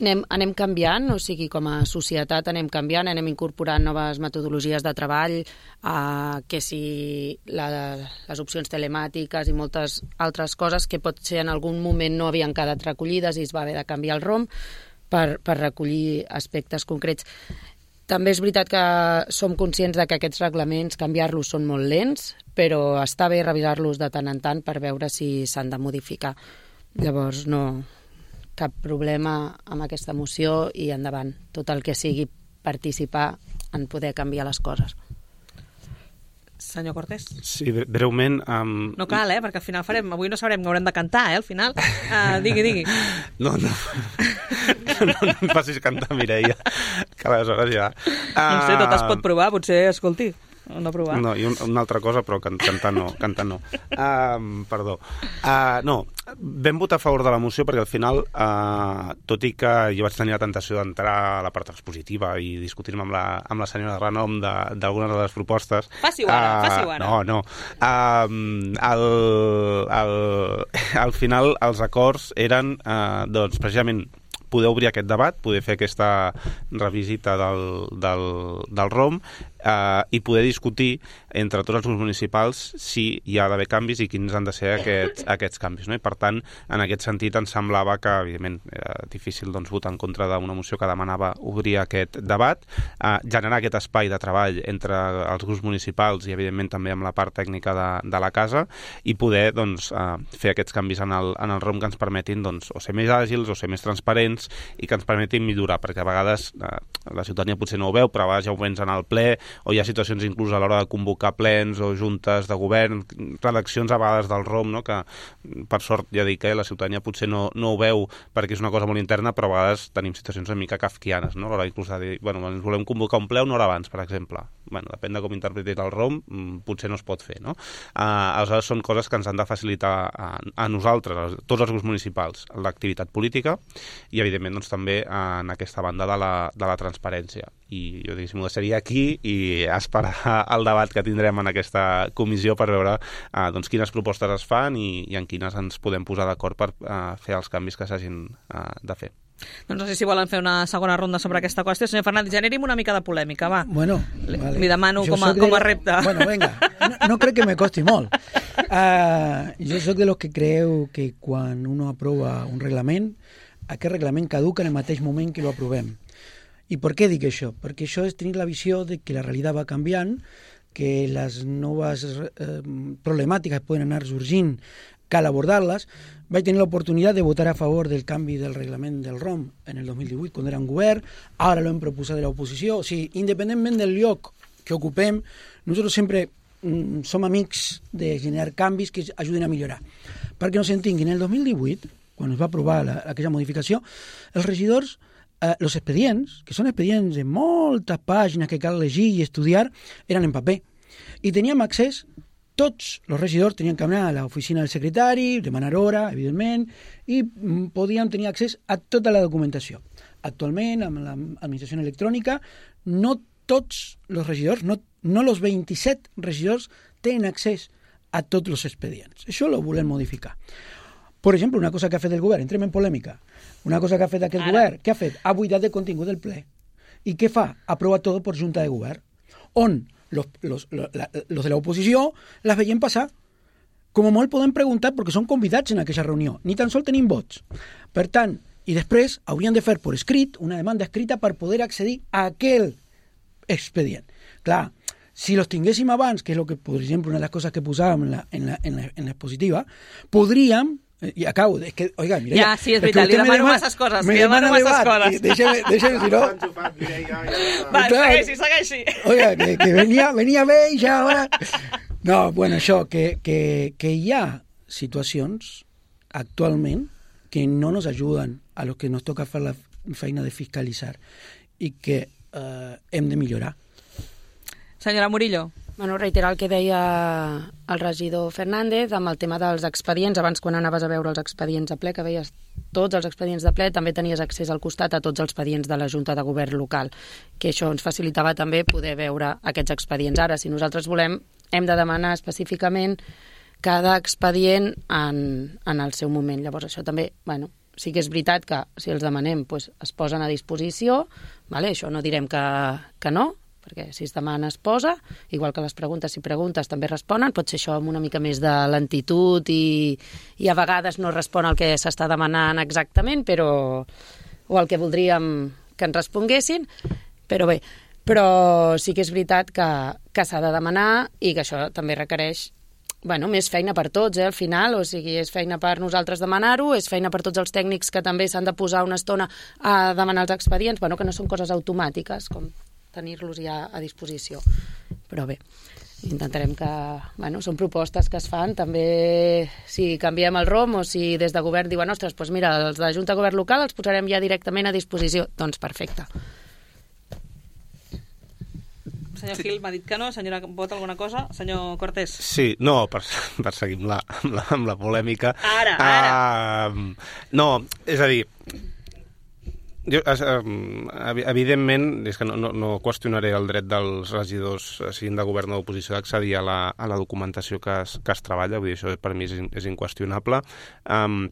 anem, anem canviant, o sigui, com a societat anem canviant, anem incorporant noves metodologies de treball, eh, que si la, les opcions telemàtiques i moltes altres coses que potser en algun moment no havien quedat recollides i es va haver de canviar el ROM per, per recollir aspectes concrets. També és veritat que som conscients de que aquests reglaments, canviar-los són molt lents, però està bé revisar-los de tant en tant per veure si s'han de modificar. Llavors, no... cap problema amb aquesta moció i endavant. Tot el que sigui participar en poder canviar les coses. Senyor Cortés. Sí, breument... Um... No cal, eh? Perquè al final farem... Avui no sabrem que haurem de cantar, eh? Al final. Uh, digui, digui. No, no. No, no em facis cantar, Mireia. Que aleshores ja... Uh... No sé, tot es pot provar. Potser, escolti... No provar. No, i un, una altra cosa, però can, cantar no. Cantar no. Uh, perdó. Uh, no, vam votar a favor de la moció perquè al final, uh, tot i que jo vaig tenir la tentació d'entrar a la part expositiva i discutir-me amb la, amb la senyora Renom d'algunes de, de les propostes... Faci-ho ara, uh, faci-ho ara. No, no. Uh, al, al, al final, els acords eren, uh, doncs, precisament, poder obrir aquest debat, poder fer aquesta revisita del, del, del ROM eh, i poder discutir entre tots els grups municipals si hi ha d'haver canvis i quins han de ser aquests, aquests canvis. No? I per tant, en aquest sentit, ens semblava que, evidentment, era difícil doncs, votar en contra d'una moció que demanava obrir aquest debat, eh, generar aquest espai de treball entre els grups municipals i, evidentment, també amb la part tècnica de, de la casa i poder doncs, eh, fer aquests canvis en el, en el ROM que ens permetin doncs, o ser més àgils o ser més transparents i que ens permetin millorar, perquè a vegades eh, la ciutadania potser no ho veu, però a vegades ja ho vens en el ple, o hi ha situacions inclús a l'hora de convocar plens o juntes de govern, redaccions a vegades del ROM, no? Que per sort ja dic que eh, la ciutadania potser no, no ho veu perquè és una cosa molt interna, però a vegades tenim situacions una mica kafkianes, no? A l'hora inclús de dir, bueno, ens volem convocar un ple una hora abans, per exemple. Bueno, depèn de com interpretis el ROM, potser no es pot fer, no? Uh, aleshores són coses que ens han de facilitar a, a nosaltres, a tots els grups municipals, l'activitat política i, evidentment, doncs, també en aquesta banda de la, de la transparència. I jo diguéssim, ho deixaria aquí i esperar el debat que tindrem en aquesta comissió per veure uh, doncs, quines propostes es fan i, i en quines ens podem posar d'acord per uh, fer els canvis que s'hagin uh, de fer. Doncs no sé si volen fer una segona ronda sobre aquesta qüestió. Senyor Fernández, generi'm una mica de polèmica, va. Bueno, vale. Li demano com a, com a repte. Bueno, venga, no, no crec que me costi molt. Uh, jo soc de los que creu que quan uno aprova un reglament, aquest reglament caduca en el mateix moment que lo aprovem. I per què dic això? Perquè això és tenir la visió de que la realitat va canviant, que les noves eh, problemàtiques poden anar sorgint, cal abordar-les. Vaig tenir l'oportunitat de votar a favor del canvi del reglament del ROM en el dos mil divuit, quan era un govern, ara l'hem proposat de l'oposició. O sigui, independentment del lloc que ocupem, nosaltres sempre mm, som amics de generar canvis que ajuden a millorar. Perquè no s'entenguin, en el dos mil divuit, quan es va aprovar la, aquella modificació, els regidors, eh, els expedients, que són expedients de moltes pàgines que cal llegir i estudiar, eren en paper. I teníem accés, tots els regidors tenien que anar a l'oficina del secretari, demanar hora, evidentment, i podien tenir accés a tota la documentació. Actualment, amb l'administració electrònica, no tots els regidors, no, no els vint-i-set regidors tenen accés a tots els expedients. Això ho volem modificar. Per exemple, una cosa que ha fet el govern, entrem en polèmica, una cosa que ha fet aquest Ara. govern, què ha fet? Ha buidat de contingut del ple. I què fa? Aprova tot per junta de govern, on los, los, los, la, los de l'oposició les veiem passar. Com a molt podem preguntar perquè són convidats en aquesta reunió. Ni tan sols tenim vots. Per tant, i després haurien de fer per escrit una demanda escrita per poder accedir a aquell expedient. Clar, si los tinguéssim abans, que és lo que, per exemple, una de les coses que posàvem en la, en la, en la, en l'expositiva, podríem, i acabo, és que, oiga, mira... Ja, sí, és veritat, li demano masses coses, li demano masses coses. Deixa'm, deixa'm, si no... Va, segueixi, segueixi. Oiga, que, que venia, venia bé i ja ara... No, bueno, això, que, que, que hi ha situacions actualment que no nos ayudan a los que nos toca fer la feina de fiscalitzar i que eh, hem de millorar. Senyora Murillo. Bueno, reiterar el que deia el regidor Fernández amb el tema dels expedients. Abans, quan anaves a veure els expedients a ple, que veies tots els expedients de ple, també tenies accés al costat a tots els expedients de la Junta de Govern local, que això ens facilitava també poder veure aquests expedients. Ara, si nosaltres volem, hem de demanar específicament cada expedient en, en el seu moment. Llavors, això també, bueno, sí que és veritat que si els demanem pues, es posen a disposició, vale? Això no direm que, que no, perquè si es demana es posa, igual que les preguntes, si preguntes també responen, pot ser això amb una mica més de lentitud i, i a vegades no respon al que s'està demanant exactament, però o el que voldríem que ens responguessin, però bé, però sí que és veritat que, que s'ha de demanar i que això també requereix bueno, més feina per tots, eh, al final, o sigui, és feina per nosaltres demanar-ho, és feina per tots els tècnics que també s'han de posar una estona a demanar els expedients, bueno, que no són coses automàtiques, com tenir-los ja a disposició. Però bé, intentarem que... Bueno, són propostes que es fan, també si canviem el R O M o si des de govern diuen, ostres, doncs mira, els de la Junta de Govern local els posarem ja directament a disposició. Doncs perfecte. Senyor Gil m'ha dit que no. Senyora, vota alguna cosa? Senyor Cortés. Sí, no, per, per seguir amb la, amb la, amb la polèmica. Ara, ara. Uh, no, és a dir, jo, evidentment, és que no, no, no qüestionaré el dret dels regidors, siguin de govern o d'oposició, d'accedir a, la, a la documentació que es, que es treballa, vull dir, això per mi és, és inqüestionable. Um,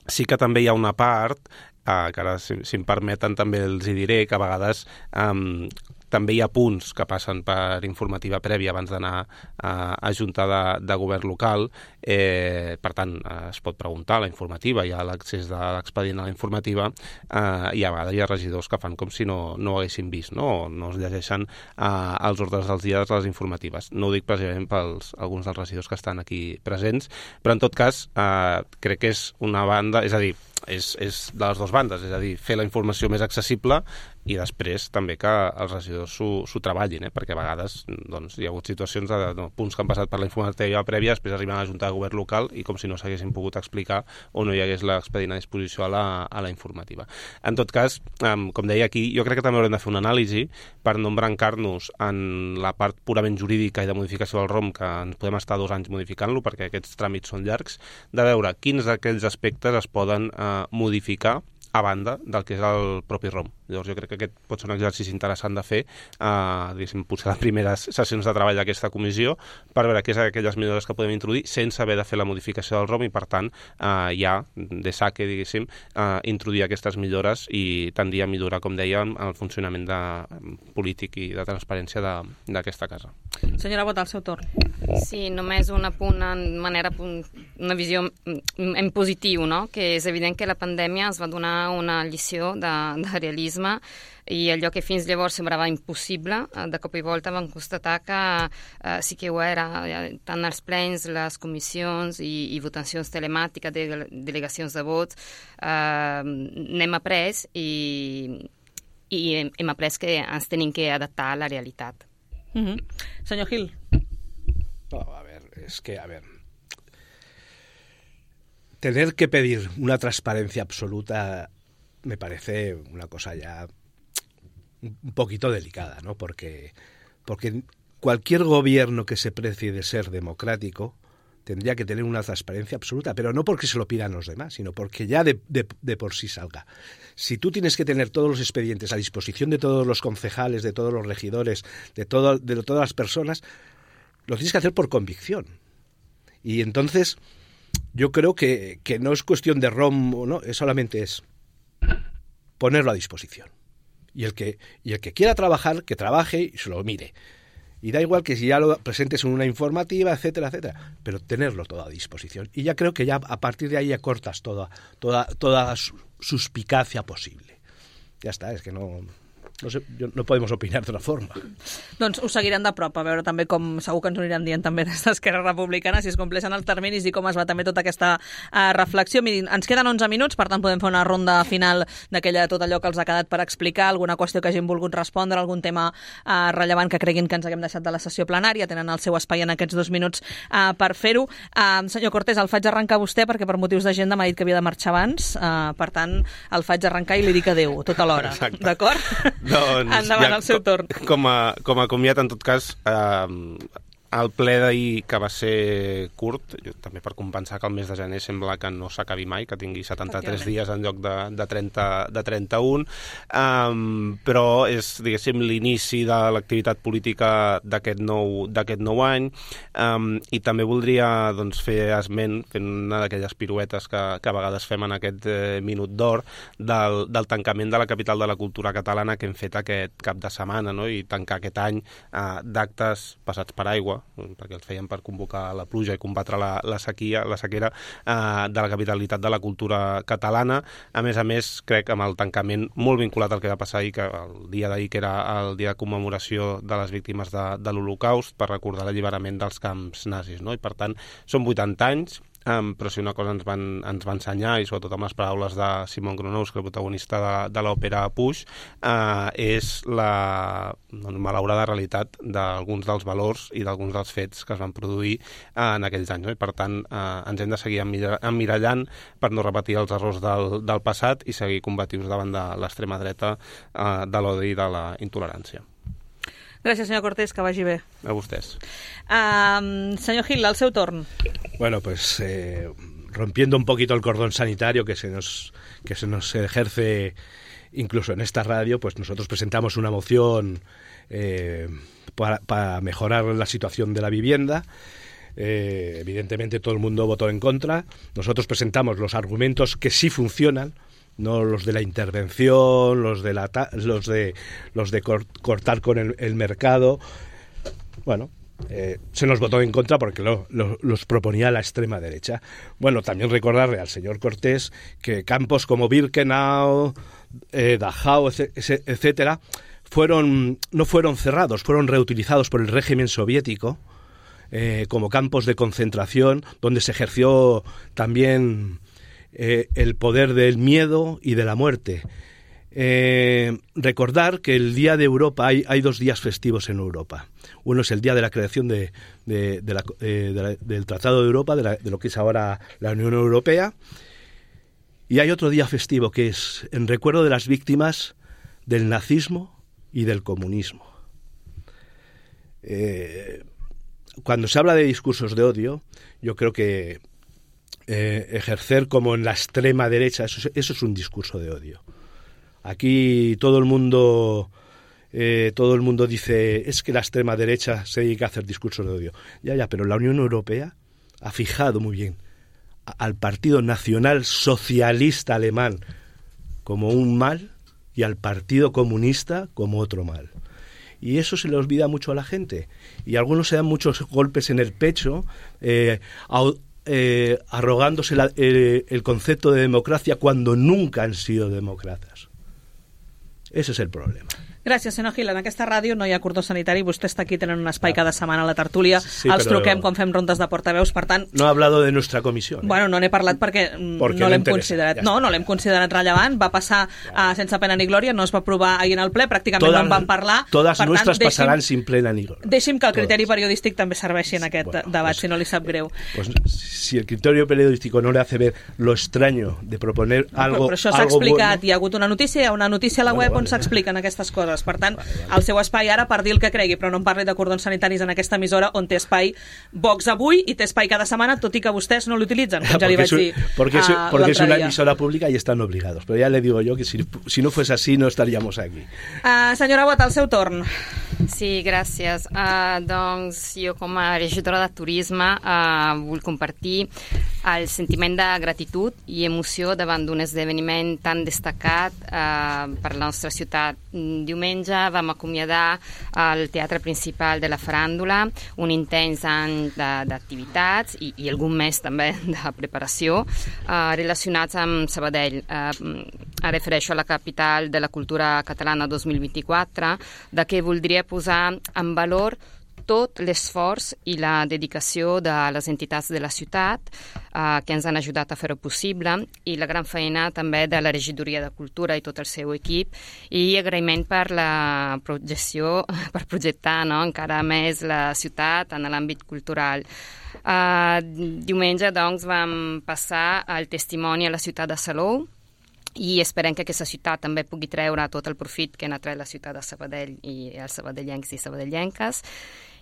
sí que també hi ha una part, uh, que ara, si, si em permeten, també els hi diré, que a vegades... Um, també hi ha punts que passen per informativa prèvia abans d'anar a, a Junta de, de Govern local. Eh, per tant, eh, es pot preguntar a la informativa, hi ha l'accés de l'expedient a la informativa, eh, i a vegades hi ha regidors que fan com si no, no ho haguessin vist, no? O no es llegeixen eh, els ordres dels dies de les informatives. No ho dic precisament pels alguns dels regidors que estan aquí presents, però en tot cas eh, crec que és una banda, és a dir, és, és de les dues bandes, és a dir, fer la informació més accessible i després també que els regidors s'ho treballin, eh? Perquè a vegades doncs, hi ha hagut situacions de, de, de punts que han passat per la informativa prèvia, després arriben a la Junta de Govern local i com si no s'haguessin pogut explicar o no hi hagués l'expedient a disposició a la, a la informativa. En tot cas, um, com deia aquí, jo crec que també haurem de fer una anàlisi per no embrancar-nos en la part purament jurídica i de modificació del R O M, que ens podem estar dos anys modificant-lo perquè aquests tràmits són llargs, de veure quins d'aquells aspectes es poden uh, modificar a banda del que és el propi R O M. Llavors jo crec que aquest pot ser un exercici interessant de fer, eh, diguéssim, potser les primeres sessions de treball d'aquesta comissió, per veure què és aquelles millores que podem introduir sense haver de fer la modificació del R O M i, per tant, eh, ja, de saque, diguéssim, eh, introduir aquestes millores i tendir a millorar, com dèiem, el funcionament de, polític i de transparència d'aquesta casa. Senyora Bota, al seu torn. Sí, només un apunt en manera, una visió en positiu, no? Que és evident que la pandèmia ens va donar una lliçó de, de realisme i allò que fins llavors semblava impossible, de cop i volta vam constatar que eh, sí que ho era, tant els plens, les comissions i, i votacions telemàtiques, de, delegacions de vots, eh, n'hem après i, i hem, hem après que ens tenim que adaptar a la realitat. Mm-hmm. Senyor Gil. No, a ver, es que, a ver, tener que pedir una transparencia absoluta me parece una cosa ya un poquito delicada, ¿no? Porque, porque cualquier gobierno que se precie de ser democrático tendría que tener una transparencia absoluta, pero no porque se lo pidan los demás, sino porque ya de, de, de por sí salga. Si tú tienes que tener todos los expedientes a disposición de todos los concejales, de todos los regidores, de, todo, de todas las personas, lo tienes que hacer por convicción. Y entonces yo creo que, que no es cuestión de rom o no, es solamente es ponerlo a disposición. Y el que, y el que quiera trabajar, que trabaje y se lo mire. Y da igual que si ya lo presentes en una informativa, etcétera, etcétera, pero tenerlo todo a disposición. Y ya creo que ya a partir de ahí ya cortas toda, toda, toda suspicacia posible. Ja està, és que no... No, sé, no podem opinar d'una forma. Doncs ho seguirem de prop, a veure també com segur que ens ho aniran dient també des d'Esquerra Republicana, si es compleixen els terminis i com es va també tota aquesta uh, reflexió. Mirin, ens queden onze minuts, per tant podem fer una ronda final d'aquella tot allò que els ha quedat per explicar, alguna qüestió que hagin volgut respondre, algun tema uh, rellevant que creguin que ens haguem deixat de la sessió plenària. Tenen el seu espai en aquests dos minuts uh, per fer-ho. Uh, senyor Cortés, el faig arrencar a vostè perquè per motius d'agenda m'ha dit que havia de marxar abans, uh, per tant el faig arrencar i li dic adéu tota l'hora. D'acord? Doncs, endavant, ja, el seu torn. Com a, com a comiat, en tot cas, eh, el ple d'ahir, que va ser curt, jo, també per compensar que el mes de gener sembla que no s'acabi mai, que tingui setanta-tres dies en lloc de, de, trenta, de trenta-un, um, però és, diguéssim, l'inici de l'activitat política d'aquest nou, d'aquest nou any, um, i també voldria doncs, fer esment, fent una d'aquelles piruetes que, que a vegades fem en aquest eh, minut d'or, del, del tancament de la capital de la cultura catalana que hem fet aquest cap de setmana, no? I tancar aquest any eh, d'actes passats per aigua, perquè els feien per convocar la pluja i combatre la, la sequia, la sequera eh, de la capitalitat de la cultura catalana. A més a més, crec, amb el tancament molt vinculat al que va passar ahir, que el dia d'ahir, que era el dia de commemoració de les víctimes de, de l'Holocaust, per recordar l'alliberament dels camps nazis, no? I per tant, són vuitanta anys, Um, però si una cosa ens van, ens va ensenyar, i sobretot amb les paraules de Simon Gronowski, que el protagonista de, de l'òpera Puix, uh, és la doncs, malaurada realitat d'alguns dels valors i d'alguns dels fets que es van produir uh, en aquells anys. No? I per tant, uh, ens hem de seguir emmirallant per no repetir els errors del, del passat i seguir combatius davant de l'extrema dreta, uh, de l'odi i de la intolerància. Gràcies, senyor Cortés, que vagi bé. A vostès. Uh, senyor Gil, el seu torn. Bueno, pues eh, rompiendo un poquito el cordón sanitario que se nos, que se nos ejerce incluso en esta radio, pues nosotros presentamos una moción eh, para, para mejorar la situación de la vivienda. Eh, evidentemente todo el mundo votó en contra. Nosotros presentamos los argumentos que sí funcionan, no los de la intervención, los de la ta los de los de cor cortar con el, el mercado. Bueno, eh, se nos votó en contra porque lo, lo, los proponía la extrema derecha. Bueno, también recordarle al señor Cortés que campos como Birkenau, eh, Dachau, etcétera, fueron no fueron cerrados, fueron reutilizados por el régimen soviético eh, como campos de concentración donde se ejerció también Eh, el poder del miedo y de la muerte. Eh, recordar que el Día de Europa, hay, hay dos días festivos en Europa. Uno es el día de la creación de, de, de la, eh, de la, del Tratado de Europa, de, la, de lo que es ahora la Unión Europea, y hay otro día festivo que es en recuerdo de las víctimas del nazismo y del comunismo. Eh, cuando se habla de discursos de odio, yo creo que Eh, ejercer como en la extrema derecha, eso, eso es un discurso de odio. Aquí todo el mundo eh, todo el mundo dice es que la extrema derecha se dedica a hacer discursos de odio. Ya, ya, pero la Unión Europea ha fijado muy bien a, al Partido Nacional Socialista Alemán como un mal y al Partido Comunista como otro mal. Y eso se le olvida mucho a la gente. Y algunos se dan muchos golpes en el pecho, eh, a, Eh, arrogándose la, eh, el concepto de democracia cuando nunca han sido demócratas. Ese es el problema. Gràcies, senyor Gil. En aquesta ràdio no hi ha cordó sanitari, vostè està aquí, tenen un espai cada setmana a la tertúlia, sí, els però... truquem quan fem rondes de portaveus, per tant... No ha hablado de nuestra comisión. Eh? Bueno, no n'he parlat perquè, perquè no l'hem considerat. Ja no, no l'hem considerat rellevant, va passar uh, sense pena ni glòria, no es va aprovar ahir en el ple, pràcticament todas, no en van parlar. Totes per nuestras tant, passaran sin plena ni glòria. Deixi'm que el criteri todas. periodístic també serveixi en aquest bueno, debat, pues, si no li sap greu. Pues, si el criterio periodístico no le hace ver lo extraño de proponer algo... Però això s'ha explicat, bueno. Hi ha hagut una notícia, hi ha una notícia a la bueno, web vale, on s'expliquen aquestes coses, per tant, vale, vale. El seu espai ara per dir el que cregui, però no em parli de cordons sanitaris en aquesta emissora on té espai Vox avui i té espai cada setmana, tot i que vostès no l'utilitzen, com ja li vaig dir porque es, uh, porque es una emisora pública y están obligados, pero ya le digo yo que si, si no fuese así no estaríamos aquí. Uh, senyora Bot, el seu torn. Sí, gràcies. Uh, doncs jo com a regidora de turisme uh, vull compartir el sentiment de gratitud i emoció davant d'un esdeveniment tan destacat uh, per la nostra ciutat. Diumenge vam acomiadar el teatre principal de la faràndula, un intens any d'activitats i, i algun mes també de preparació uh, relacionats amb Sabadell. Uh, refereixo a la capital de la cultura catalana dos mil vint-i-quatre, de què voldria posar en valor tot l'esforç i la dedicació de les entitats de la ciutat eh, que ens han ajudat a fer-ho possible i la gran feina també de la regidoria de cultura i tot el seu equip i agraïment per la projecció, per projectar no, encara més la ciutat en l'àmbit cultural. Uh, diumenge doncs vam passar el testimoni a la ciutat de Salou i esperem que aquesta ciutat també pugui treure tot el profit que n'ha tret la ciutat de Sabadell i els sabadellencs i sabadellenques.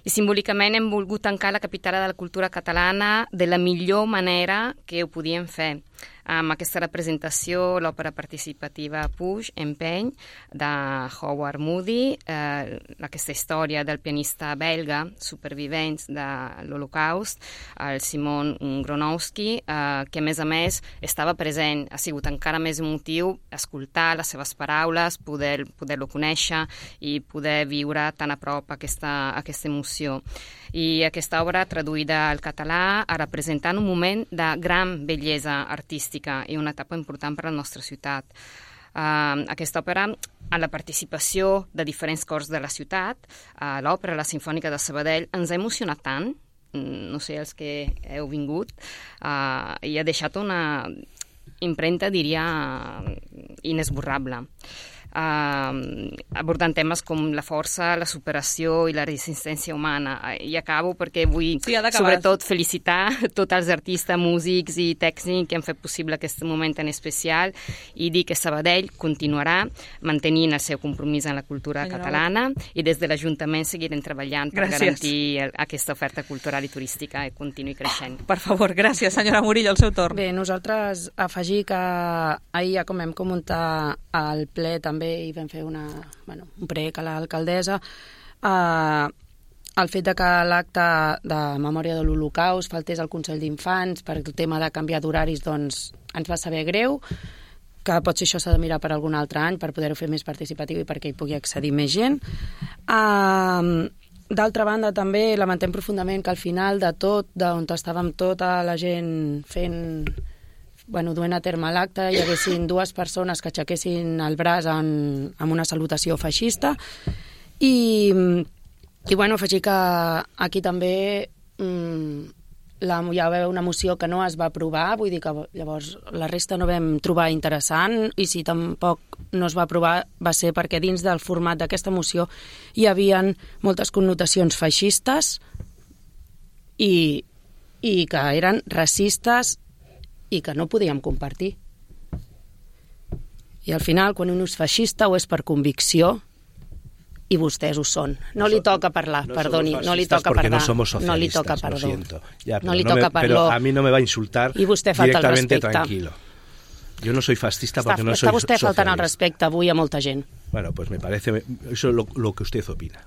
I simbòlicament hem volgut tancar la capital de la cultura catalana de la millor manera que ho podíem fer. Amb aquesta representació, l'òpera participativa Puig, Empeny, de Howard Moody, eh, aquesta història del pianista belga, supervivents de l'Holocaust, el Simon Gronowski, eh, que a més a més estava present, ha sigut encara més emotiu escoltar les seves paraules, poder, poder-lo conèixer i poder viure tan a prop aquesta, aquesta emoció. I aquesta obra, traduïda al català, ha representat un moment de gran bellesa artística i una etapa important per a la nostra ciutat. Uh, aquesta òpera, a la participació de diferents cors de la ciutat, uh, l'òpera, la Simfònica de Sabadell, ens ha emocionat tant, no sé, els que heu vingut, uh, i ha deixat una impremta, diria, inesborrable. Uh, abordant temes com la força, la superació i la resistència humana. I acabo perquè vull sí, sobretot felicitar tots els artistes, músics i tècnics que han fet possible aquest moment tan especial i dir que Sabadell continuarà mantenint el seu compromís en la cultura Senyora catalana i des de l'Ajuntament seguirem treballant per gràcies. garantir el, aquesta oferta cultural i turística i continuï creixent. Per favor, gràcies, senyora Murillo, el seu torn. Bé, nosaltres afegir que ahir, ja com hem comentat al ple també i vam fer una, bueno, un prec a l'alcaldessa, eh, el fet de que l'acte de memòria de l'Holocaust faltés al Consell d'Infants per el tema de canviar d'horaris, doncs ens va saber greu, que potser això s'ha de mirar per algun altre any per poder-ho fer més participatiu i perquè hi pugui accedir més gent. Eh, D'altra banda, també lamentem profundament que al final de tot, d'on estàvem tota la gent fent... bueno, duent a terme l'acte, hi haguessin dues persones que aixequessin el braç en, en una salutació feixista i, i bueno, afegir que aquí també mm, la, hi va haver una moció que no es va aprovar, vull dir que llavors la resta no vam trobar interessant i si tampoc no es va aprovar va ser perquè dins del format d'aquesta moció hi havien moltes connotacions feixistes i, i que eren racistes i que no podíem compartir. I al final, quan un és feixista o és per convicció, i vostès ho són. No li toca parlar, no perdoni, no li toca parlar. No somos socialistas, no li toca perdó. Lo siento. Ya, no li no toca me, perdó. Pero a mí no me va a insultar I vostè falta directamente el respecte. tranquilo. Yo no soy fascista porque està, no soy socialista. Està vostè socialista. faltant el respecte avui a molta gent. Bueno, pues me parece, eso es lo, lo que usted opina.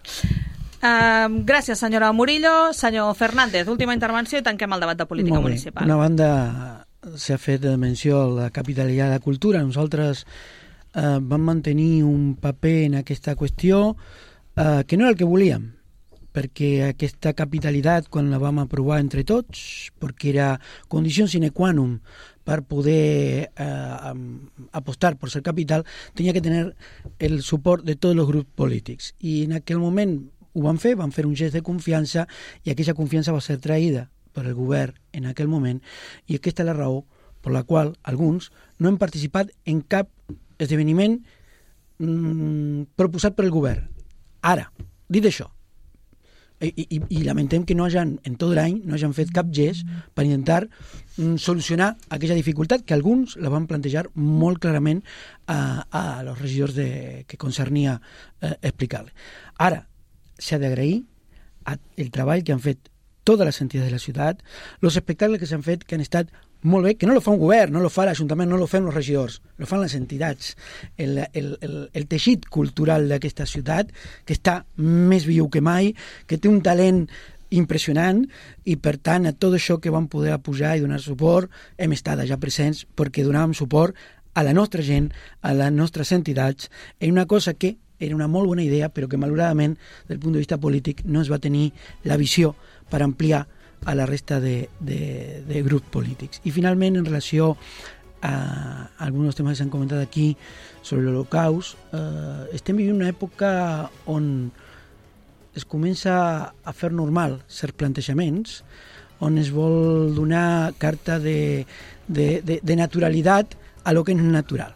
Uh, gràcies, senyora Murillo. Senyor Fernández, última intervenció i tanquem el debat de política Molt bé. municipal. Una banda s'ha fet menció a la capitalitat de la cultura. Nosaltres eh, vam mantenir un paper en aquesta qüestió eh, que no era el que volíem, perquè aquesta capitalitat, quan la vam aprovar entre tots, perquè era condició sine qua non per poder eh, apostar por ser capital, tenia que tenir el suport de tots els grups polítics. I en aquell moment ho van fer, van fer un gest de confiança i aquella confiança va ser traïda per el govern en aquell moment, i aquesta és la raó per la qual alguns no hem participat en cap esdeveniment mmm, proposat per el govern. Ara, dit això, i, i, i lamentem que no hagin, en tot l'any no hagin fet cap gest per intentar mm, solucionar aquella dificultat que alguns la van plantejar molt clarament a, a los regidors de, que concernia eh, explicar. Ara, s'ha d'agrair el treball que han fet totes les entitats de la ciutat, els espectacles que s'han fet, que han estat molt bé, que no lo fa un govern, no lo fa l'Ajuntament, no lo fem els regidors, lo fan les entitats. El, el, el, el teixit cultural d'aquesta ciutat, que està més viu que mai, que té un talent impressionant, i per tant a tot això que vam poder pujar i donar suport hem estat allà presents perquè donàvem suport a la nostra gent, a les nostres entitats, en una cosa que era una molt bona idea, però que malauradament, del punt de vista polític, no es va tenir la visió per ampliar a la resta de, de, de grups polítics. I finalment, en relació a alguns temes que s'han comentat aquí sobre l'Holocaust, eh, estem vivint una època on es comença a fer normal certs plantejaments, on es vol donar carta de, de, de, de naturalitat a lo que no és natural.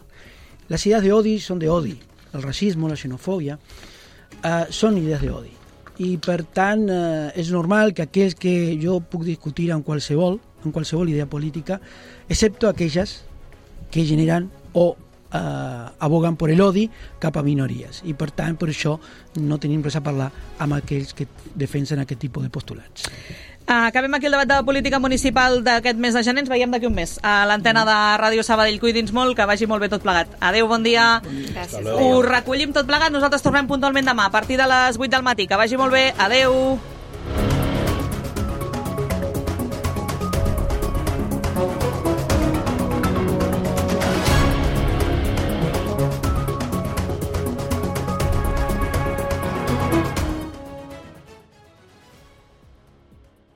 Les idees d'odi són d'odi. El racisme, la xenofòbia, eh, són idees d'odi. I per tant eh, és normal que aquells que jo puc discutir amb qualsevol, amb qualsevol idea política, excepto aquelles que generen o eh, aboguen per l'odi cap a minories. I per tant, per això no tenim res a parlar amb aquells que defensen aquest tipus de postulats. Acabem aquí el debat de política municipal d'aquest mes de gener. Ens veiem d'aquí un mes a l'antena de Ràdio Sabadell. Cuidi'ns molt, que vagi molt bé tot plegat. Adéu, bon dia. Gràcies. Ho recollim tot plegat. Nosaltres tornem puntualment demà a partir de les vuit del matí. Que vagi molt bé. Adéu.